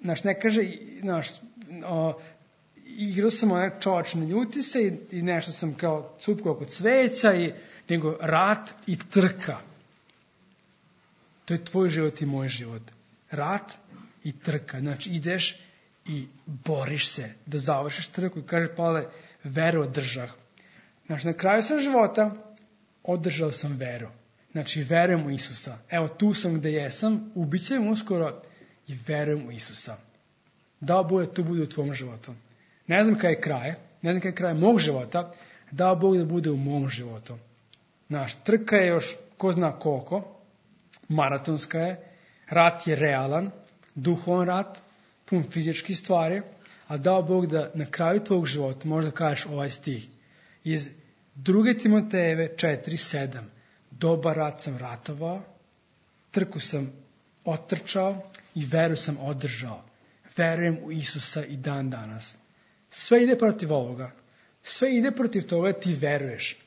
ne kaže, igrao sam onaj čovač, ne ljuti se i nešto sam kao cupko oko cveća, nego rat i trka. To je tvoj život i moj život. Rat i trka. Znači, ideš i boriš se da završiš trku. I kaže Pavle, veru održah. Znači, na kraju sam života održao sam veru. Znači, verujem u Isusa. Evo, tu sam gde jesam, ubićem uskoro i verujem u Isusa. Dao Bog da to bude u tvom životu. Ne znam kada je kraj, mog života, dao Bog da bude u mom životu. Trka je još ko zna koliko, maratonska je, rat je realan, duhovan rat, pun fizičkih stvari, a dao Bog da na kraju tvog života možda kažeš ovaj stih iz 2. Timotejeve 4:7. Dobar rat sam ratovao, trku sam otrčao i veru sam održao. Verujem u Isusa i dan danas. Sve ide protiv ovoga. Sve ide protiv toga da ti veruješ.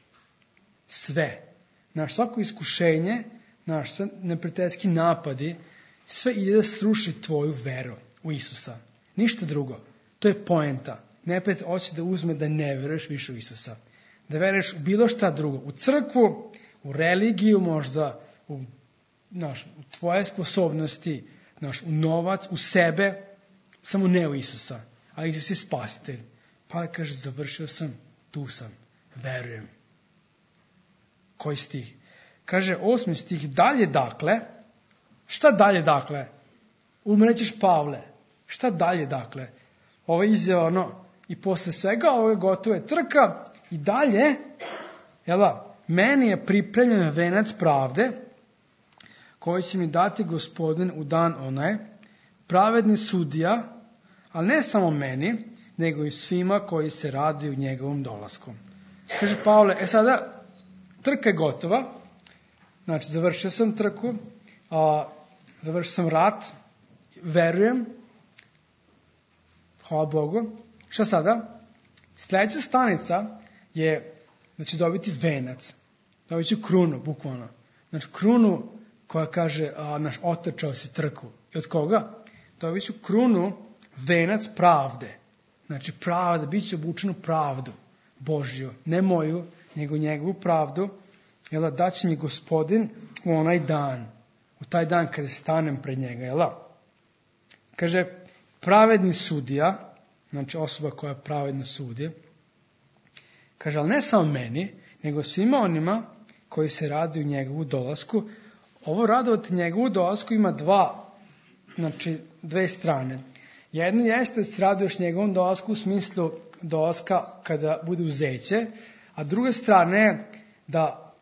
Sve. Naš svako iskušenje, naš neprijateljski napadi, sve ide da sruši tvoju veru u Isusa. Ništa drugo. To je poenta. Neprijatelj hoće da uzme da ne veruješ više u Isusa. Da veruješ u bilo šta drugo. U crkvu, u religiju možda, u tvoje sposobnosti, u novac, u sebe, samo ne u Isusa. A Isus je spasitelj. Pa kaže, završio sam, tu sam, verujem. Koji stih? Kaže 8. stih, dalje dakle, šta dalje dakle? Umrećeš Pavle, šta dalje dakle? Ovo je izjava, i posle svega ovo je gotova trka i dalje, meni je pripremljen venac pravde, koji će mi dati Gospodin u dan onaj, pravedni sudija, ali ne samo meni, nego i svima koji se raduju njegovom dolaskom. Kaže Pavle, sada trka je gotova, znači završio sam trku, završio sam rat, verujem, hvala Bogu. Šta sada? Sljedeća stanica je da će dobiti venac, dobit ću krunu, bukvalno. Znači krunu koja kaže, otrčao si trku. I od koga? Dobit ću krunu, venac pravde. Znači pravda, bit će obučenu pravdu Božju, ne moju, nego njegovu pravdu, daće mi Gospodin u onaj dan, u taj dan kada stanem pred njega, Kaže, pravedni sudija, znači osoba koja pravedno sudi, kaže, ali ne samo meni, nego svima onima koji se raduju njegovu dolasku. Ovo radovati njegovu dolasku ima dve strane. Jedno jeste da se raduješ njegovom dolasku u smislu dolaska kada bude uzeće, a druga strana je da,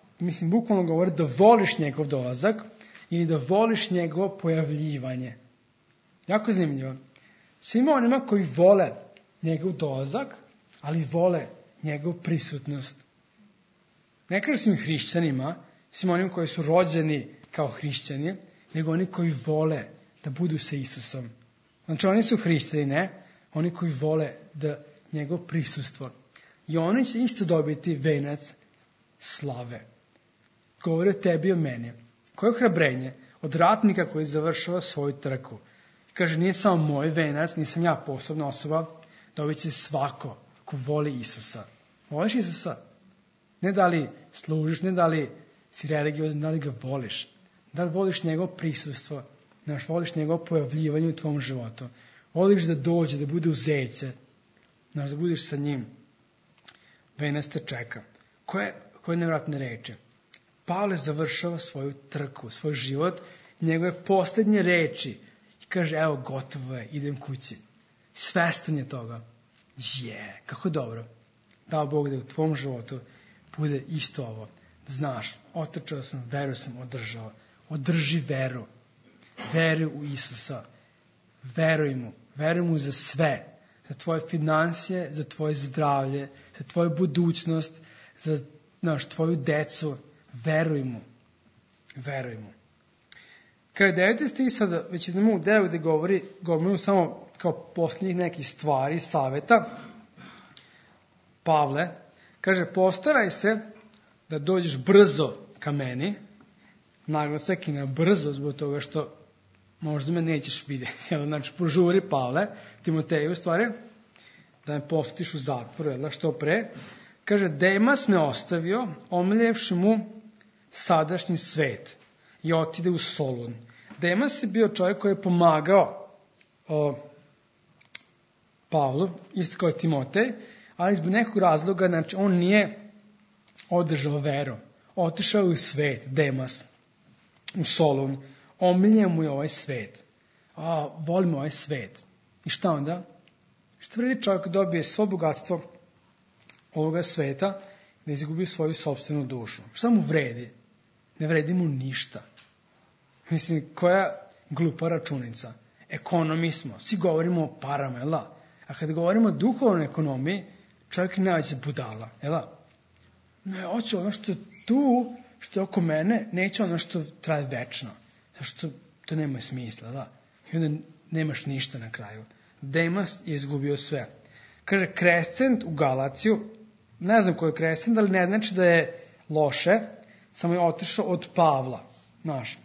bukvalno govori da voliš njegov dolazak ili da voliš njegovo pojavljivanje. Jako zanimljivo. Svima onima koji vole njegov dolazak, ali vole njegovu prisutnost. Ne kažem svim hrišćanima, svim onima koji su rođeni kao hrišćani, nego oni koji vole da budu sa Isusom. Znači oni su hrišćani, ne? Oni koji vole da njegov prisustvo. I oni će isto dobiti venac slave. Govori o tebi i o meni. Koje ohrabrenje od ratnika koji završava svoju trku. Kaže, nije samo moj venac, nisam ja posebna osoba, dobit će svako ko voli Isusa. Voliš Isusa? Ne da li služiš, ne da li si religiozan, da li ga voliš. Da li voliš njegovo prisustvo, voliš njegovo pojavljivanje u tvom životu. Voliš da dođe, da bude uzeće, da budeš sa njim. Venac te čeka. Koje nevratne reči. Pavle završava svoju trku, svoj život, njegove posljednje reči. I kaže, evo, gotovo je, idem kući. Svestan je toga. Kako dobro. Dao Bog da u tvom životu bude isto ovo. Da znaš, otrčao sam, veru sam održao. Održi veru. Veruj u Isusa. Veruj mu. Veruj mu za sve. Za tvoje financije, za tvoje zdravlje, za tvoju budućnost, za tvoju decu. Veruj mu. Veruj mu. Kada je 9. stih, sada već idemo u deo gde govorimo samo kao posljednjih nekih stvari, saveta. Pavle kaže, postaraj se da dođeš brzo ka meni, naglasak i na brzo zbog toga što možda me nećeš vidjeti. Znači, požuri Pavle, Timoteju stvari, da me posjetiš u zatvoru, što pre. Kaže, Demas me ostavio, omiljevši mu sadašnji svet i otide u Solun. Demas je bio čovjek koji je pomagao Pavlu, isto kao Timotej, ali zbog nekog razloga, znači on nije održao veru. Otišao je u svet, Demas, u Solun. Omiljen mu je ovaj svet. Volimo ovaj svet. I šta onda? Šta vredi čovjek dobije svo bogatstvo ovoga sveta, da izgubi svoju sopstvenu dušu? Šta mu vredi? Ne vredi mu ništa. Koja glupa računica. Ekonomi smo. Svi govorimo o parama, A kad govorimo o duhovnoj ekonomiji, čovjek je najveća budala, Ne, hoću ono što je tu, što je oko mene, neće ono što traje večno. Zašto to nema smisla, da. I onda nemaš ništa na kraju. Demas je izgubio sve. Kaže, Krescent u Galaciju, ne znam ko je Krescent, ali ne znači da je loše, samo je otišao od Pavla, znaš.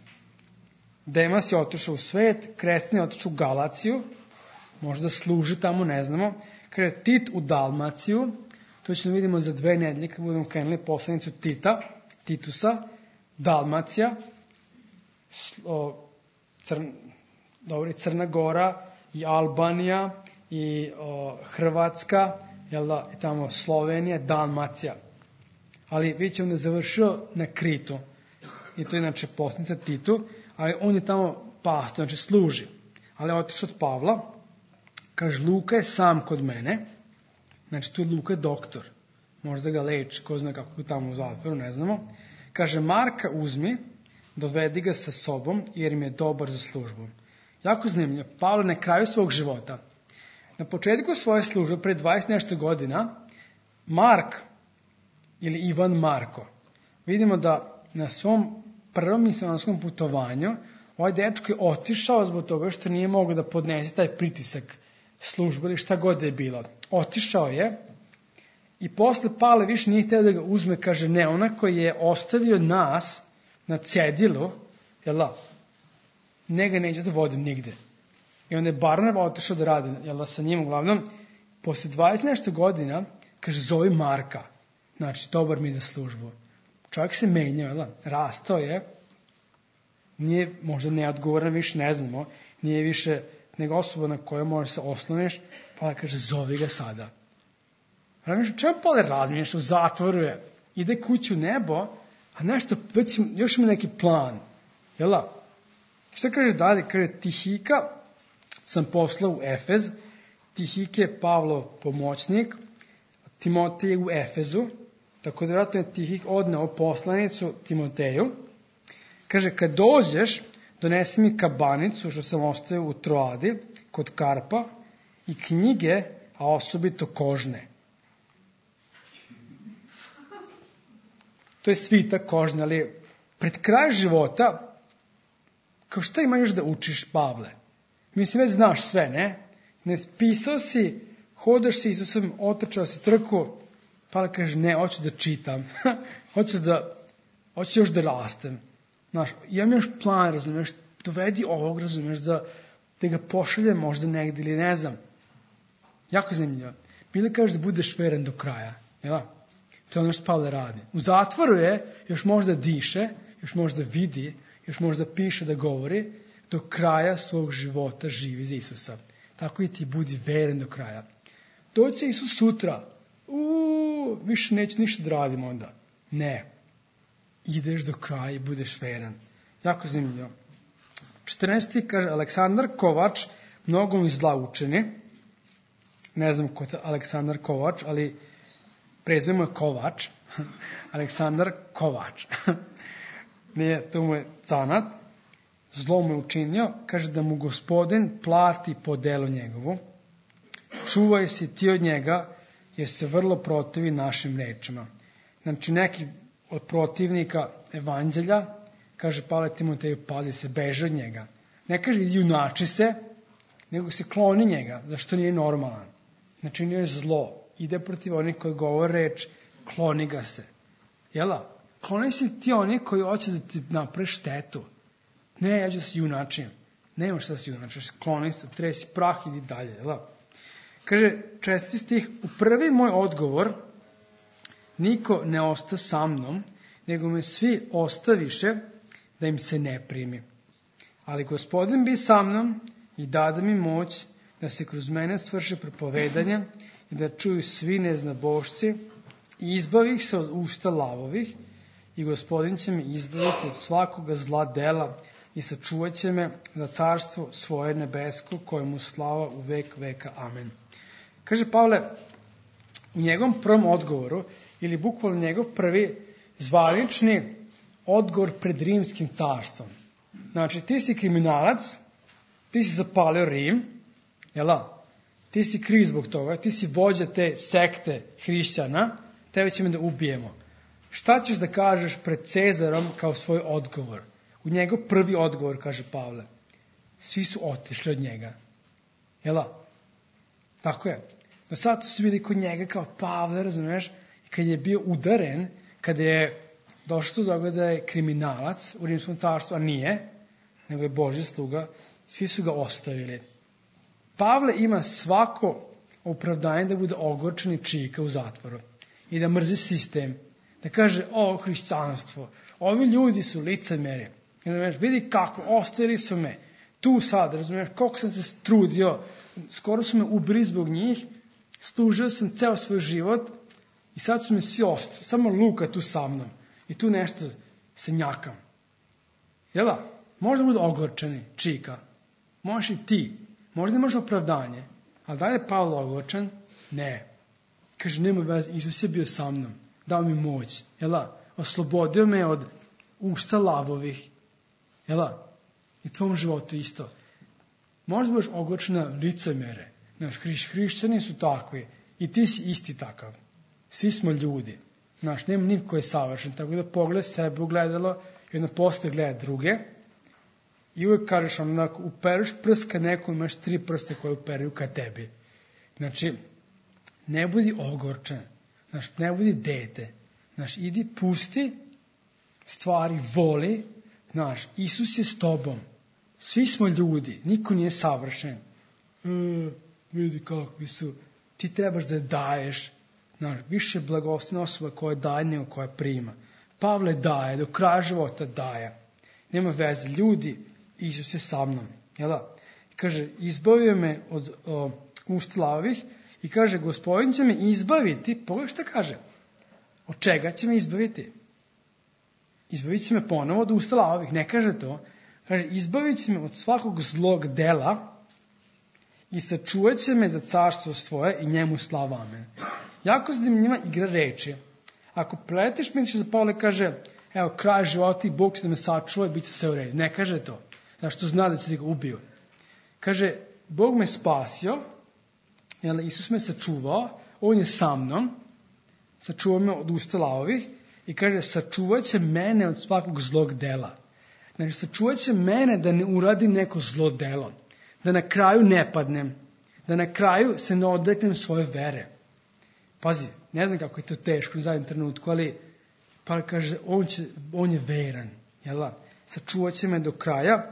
Demas je otišao u svet, Krescent je otišao u Galaciju, možda služi tamo, ne znamo. Kaže, Tit u Dalmaciju, to ćemo vidimo za 2 nedelje, kad budemo krenuli poslanicu Titusa, Dalmacija, Crna Gora i Albanija i Hrvatska, i tamo Slovenija, Dalmacija. Ali vidjet ćemo da je završio na Kritu. I to je inače poslanica Titu, ali on je tamo pastor, znači služi. Ali je otišao od Pavla, kaže, Luka je sam kod mene, znači tu je Luka doktor, možda ga leči, ko zna kako je tamo u zatvoru, ne znamo. Kaže, Marka uzmi, dovedi ga sa sobom, jer mi je dobar za službu. Jako zanimljivo, Pavle na kraju svog života, na početku svoje službe, pre 20 nešto godina, Mark, ili Ivan Marko, vidimo da na svom prvom misionarskom putovanju, ovaj dečko je otišao zbog toga što nije mogao da podnese taj pritisak službe ili šta god je bilo. Otišao je i posle Pavle više nije hteo da ga uzme, kaže, ne, ona koji je ostavio nas na cedilu, njega neće da vodim nigde. I onda je Barnaba otišao da radi, sa njim uglavnom, posle 20 nešto godina, kaže, zovi Marka, znači, dobar mi za službu. Čovjek se menjao, rastao je, nije možda neodgovoran, više ne znamo, nije više nego osoba na kojoj možeš se osloniš, pa kaže, zovi ga sada. Čemu Pavle razmišljaš, u zatvoru je, ide kući u nebo, a nešto, već još ima neki plan, Šta kaže dalje? Kaže, Tihika sam poslao u Efez, Tihike je Pavlov pomoćnik, Timotej je u Efezu, tako da vjerojatno je Tihik odneo poslanicu Timoteju. Kaže, kad dođeš, donesi mi kabanicu, što sam ostavio u Troadi, kod Karpa, i knjige, a osobito kožne. To je svitak kožne, ali pred kraj života, kao šta ima još da učiš, Pavle? Mislim, već znaš sve, ne? Ne pisao si, hodaš si Isusom, otrčao si trku, Pavle kaže, ne, hoću da čitam, hoću još da rastem. Znaš, imam još plan, razumiješ, dovedi ovog, razumiješ, da ga pošaljem možda negdje ili ne znam. Jako zanimljivo. Bili kažeš da budeš veren do kraja, jel? To je ono što Pavle radi. U zatvoru je, još možda diše, još možda vidi, još možda piše da govori, do kraja svog života živi za Isusa. Tako i ti budi veren do kraja. Doći će Isus sutra, više neće ništa da radim onda. Ne. Ideš do kraja i budeš veren. Jako zanimljivo. 14. kaže, Aleksandar Kovač, mnogo mi zla učini. Ne znam ko je Aleksandar Kovač, ali prezivimo je Kovač. Aleksandar Kovač. Nije, to mu je canat. Zlo mu je učinio. Kaže da mu Gospodin plati po delu njegovu. Čuvaj se ti od njega, jer se vrlo protivi našim rečima. Znači, neki od protivnika evanđelja, kaže Pavle Timoteju, pazi se, beži od njega. Ne kaže junači se, nego se kloni njega, zašto nije normalan. Znači, nije zlo. Ide protiv onih koji govore reč, kloni ga se. Jela? Kloni se ti oni koji hoće da ti napravi štetu. Ne, ja ću da se junačim. Nemaš šta da se junačiš, kloni se, tresi prah, idi dalje. Jela? Kaže, 4. stih, u prvi moj odgovor, niko ne osta sa mnom, nego me svi ostaviše da im se ne primi. Ali Gospodin bi sa mnom i dade mi moć da se kroz mene svrši propovedanje i da čuju svi neznabošci i izbavi ih se od usta lavovih i Gospodin će me izbaviti od svakoga zla dela i sačuvat će me za carstvo svoje nebesko kojemu slava u vek veka. Amen. Kaže Pavle, u njegovom prvom odgovoru, ili bukvalno njegov prvi zvanični odgovor pred rimskim carstvom. Znači, ti si kriminalac, ti si zapalio Rim, jela? Ti si kriv zbog toga, ti si vođa te sekte hrišćana, tebe ćemo da ubijemo. Šta ćeš da kažeš pred Cezarom kao svoj odgovor? U njegov prvi odgovor, kaže Pavle. Svi su otišli od njega. Jela? Tako je. Do sad su bili kod njega kao Pavle, razumiješ? I kad je bio udaren, kada je došlo do toga da je kriminalac u Rimskom carstvu, a nije, nego je Božji sluga, svi su ga ostavili. Pavle ima svako opravdanje da bude ogorčen i čika u zatvoru i da mrzi sistem, da kaže, hrišćanstvo, ovi ljudi su licemeri, vidi kako, ostavili su me, tu sad, razumiješ, koliko sam se trudio, skoro su me ubili zbog njih, služio sam ceo svoj život i sad su me svi ostavili, samo Luka tu sa mnom i tu nešto se njakam. Jel' možda bude ogorčeni, čika, možeš i ti, možda imaš opravdanje, ali da li je Pavle ogorčen? Ne. Kaže, nema veze, Isus je bio sa mnom, dao mi moć, jel', oslobodio me od usta lavovih, jel', i tvom životu isto. Možda budeš ogorčen na licemere, znaš, hrišćani su takvi i ti si isti takav. Svi smo ljudi, znaš, nema niko je savršen, tako da pogledaj sebe u gledalo i onda posle gledaj druge i uvijek kažeš onako, upereš prst kad neko imaš 3 prste koje uperaju ka tebi. Znači, ne budi ogorčen, znaš, ne budi dete, znaš, idi pusti stvari, voli, znaš, Isus je s tobom, svi smo ljudi, niko nije savršen. Vidi kakvi su, ti trebaš da daješ, znaš, više blagoslovna osoba koja daje nego koja prima. Pavle daje, do kraja života daje. Nema veze, ljudi, Isus je sa mnom. Jel' kaže, izbavio me od usta lavih i kaže, Gospodin će me izbaviti. Pogledaj šta kaže. Od čega će me izbaviti? Izbavit će me ponovo od usta lavih. Ne kaže to. Kaže, izbavit će me od svakog zlog dela i sačuvat će me za carstvo svoje i njemu slava. Amen. Jako zanimljiva igra reči. Ako preletiš, misliš da Pavle kaže, evo, kraj života i Bog će da me sačuva i bit će sve u redu. Ne kaže to. Zašto zna da će da ga ubio. Kaže, Bog me spasio, Isus me sačuvao, On je sa mnom, sačuvao me od usta lavovih i kaže, sačuvat će mene od svakog zlog dela. Znači, sačuvat će mene da ne uradim neko zlo delo, da na kraju ne padnem, da na kraju se ne odreknem svoje vere. Pazi, ne znam kako je to teško u zadnjem trenutku, ali pa kaže, on je veran, jel? Sačuvat će me do kraja,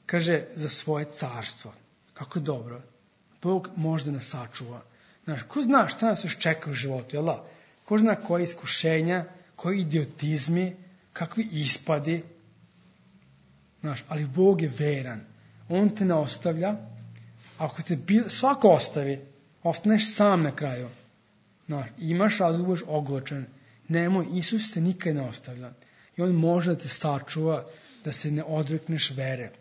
kaže, za svoje carstvo. Kako dobro. Bog možda nas sačuva. Znaš, ko zna šta nas još čeka u životu, jel? Ko zna koje iskušenja, koji idiotizmi, kakvi ispadi. Znaš, ali Bog je veran. On te ne ostavlja. Ako te svako ostavi, ostaneš sam na kraju. Znaš, imaš razlog, budeš ogorčen. Nemoj, Isus te nikad ne ostavlja. I On može da te sačuva, da se ne odrekneš vere.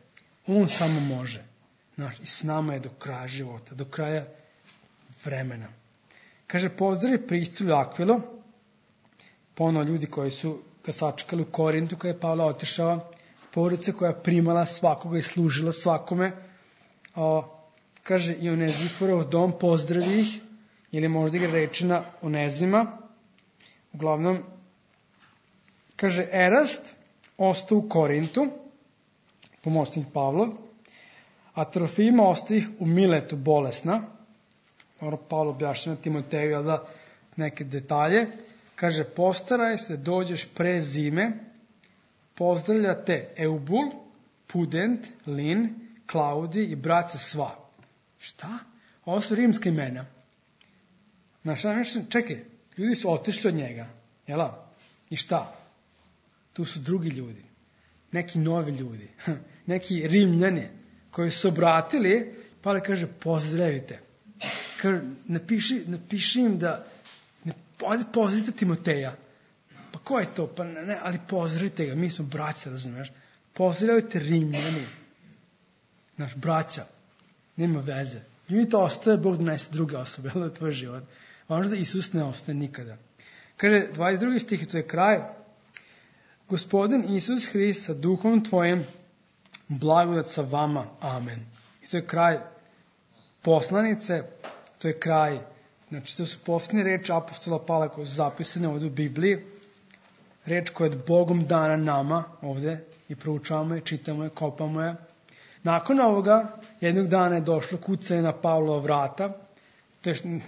On samo može. Znaš, i s nama je do kraja života, do kraja vremena. Kaže, pozdravi Priscilu i Akvilu, ponovo ljudi koji su ga sačekali u Korintu, kada je Pavle otišao, porodica koja je primala svakoga i služila svakome. Kaže, i Oneziforov dom, pozdravi ih, ili možda igra reči na Onezima. Uglavnom, kaže, Erast ostao u Korintu, pomoćnik Pavlov, a Trofima ostao ih u Miletu bolesna. Pavlo objašnjava Timoteju da neke detalje. Kaže, postaraj se, dođeš pre zime, pozdravlja te Eubul, Pudent, Lin, Klaudi i braća sva. Šta? Ovo su rimska imena. Znaš, čekaj, ljudi su otišli od njega. Jel? I šta? Tu su drugi ljudi. Neki novi ljudi. Neki Rimljani koji su obratili, Pavle kaže, pozdravite. Kaže, napiši im da pozdravite Timoteja. Pa ko je to? Pa ne, ali pozdravite ga, mi smo braća, razumiješ? Pozdravite Rimljani. Naš braća. Nema veze. Ljudi to ostaje, Bog donese druge osobe, ali tvoj život. Važno da Isus ne ostaje nikada. Kaže, 22. stih, to je kraj. Gospodin Isus Hrist sa duhom tvojim, blagodat sa vama. Amen. I to je kraj poslanice, to je kraj, znači to su posljednje reči apostola Pavla koje su zapisane ovdje u Bibliji. reč koja je Bogom dana nama ovde i proučavamo je, čitamo je, kopamo je. Nakon ovoga, jednog dana je došlo kucanje na Pavlova vrata, to je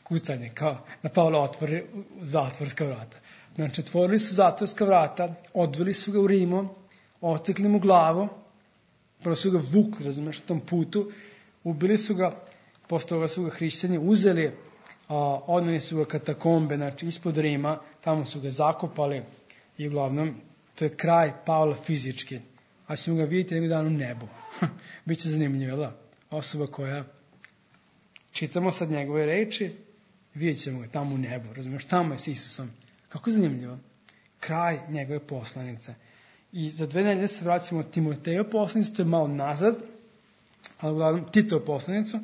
kucanje, kao na Pavla otvori zatvorska vrata. Znači, otvorili su zatvorska vrata, odveli su ga u Rimo, ocekli mu glavu, prvo su ga vukli, razumeš, na tom putu, ubili su ga, posle toga su ga hrišćani uzeli, odneli su ga katakombe, znači ispod Rima, tamo su ga zakopali i uglavnom to je kraj Pavla fizički. A ćemo ga vidjeti jednog dana u nebu. Biće zanimljivo, da? Osoba koja, čitamo sad njegove reči, vidjet ćemo ga tamo u nebu, razumiješ, tamo je s Isusom. Kako je zanimljivo? Kraj njegove poslanice. I za 2 nedelje se vraćamo Timoteju poslanicu, to je malo nazad, ali uglavnom Titovu poslanicu,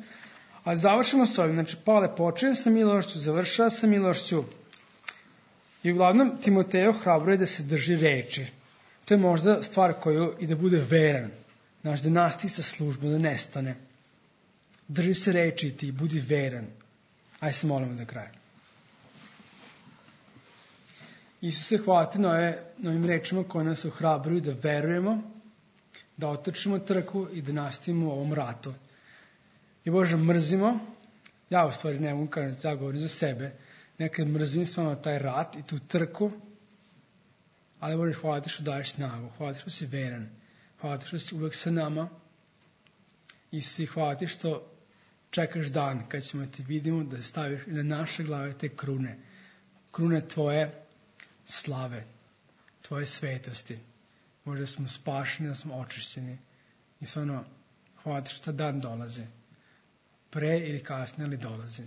ali završimo s ovim. Znači, Pavle počinje sa milošću, završava sa milošću i uglavnom Timoteju hrabruje da se drži reči. To je možda stvar koju i da bude veran. Znaš, da nastavi sa službom, da nestane. Drži se reči ti, budi veran. Ajde se molimo za kraj. Isuse, hvala ti na ovim rečima koje nas ohrabruju da verujemo, da otrčimo trku i da nastavimo u ovom ratu. I Bože, mrzimo, ja u stvari ne mogu kažem, ja govorim za sebe, nekad mrzim stvarno taj rat i tu trku, ali Bože, hvala ti što daješ snagu, hvala ti što si veran, hvala ti što si uvek sa nama i svi hvala ti što čekaš dan kad ćemo ti vidimo da staviš na naše glave te krune tvoje slave, tvoje svetosti. Možda smo spašeni, da smo očišćeni i stvarno hvala ti što dan dolazi. Pre ili kasnije, ali dolazi.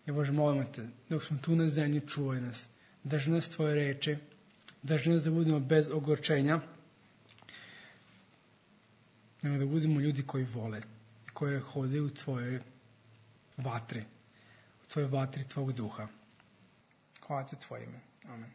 I Bože, molimo te, dok smo tu na zemlji, čuvaj nas, drži nas tvoje reči, drži nas da budemo bez ogorčenja, nego da budemo ljudi koji vole, koji hodaju u tvojoj vatri, u tvojoj vatri tvog duha. Hvala ti tvoje ime. Amen.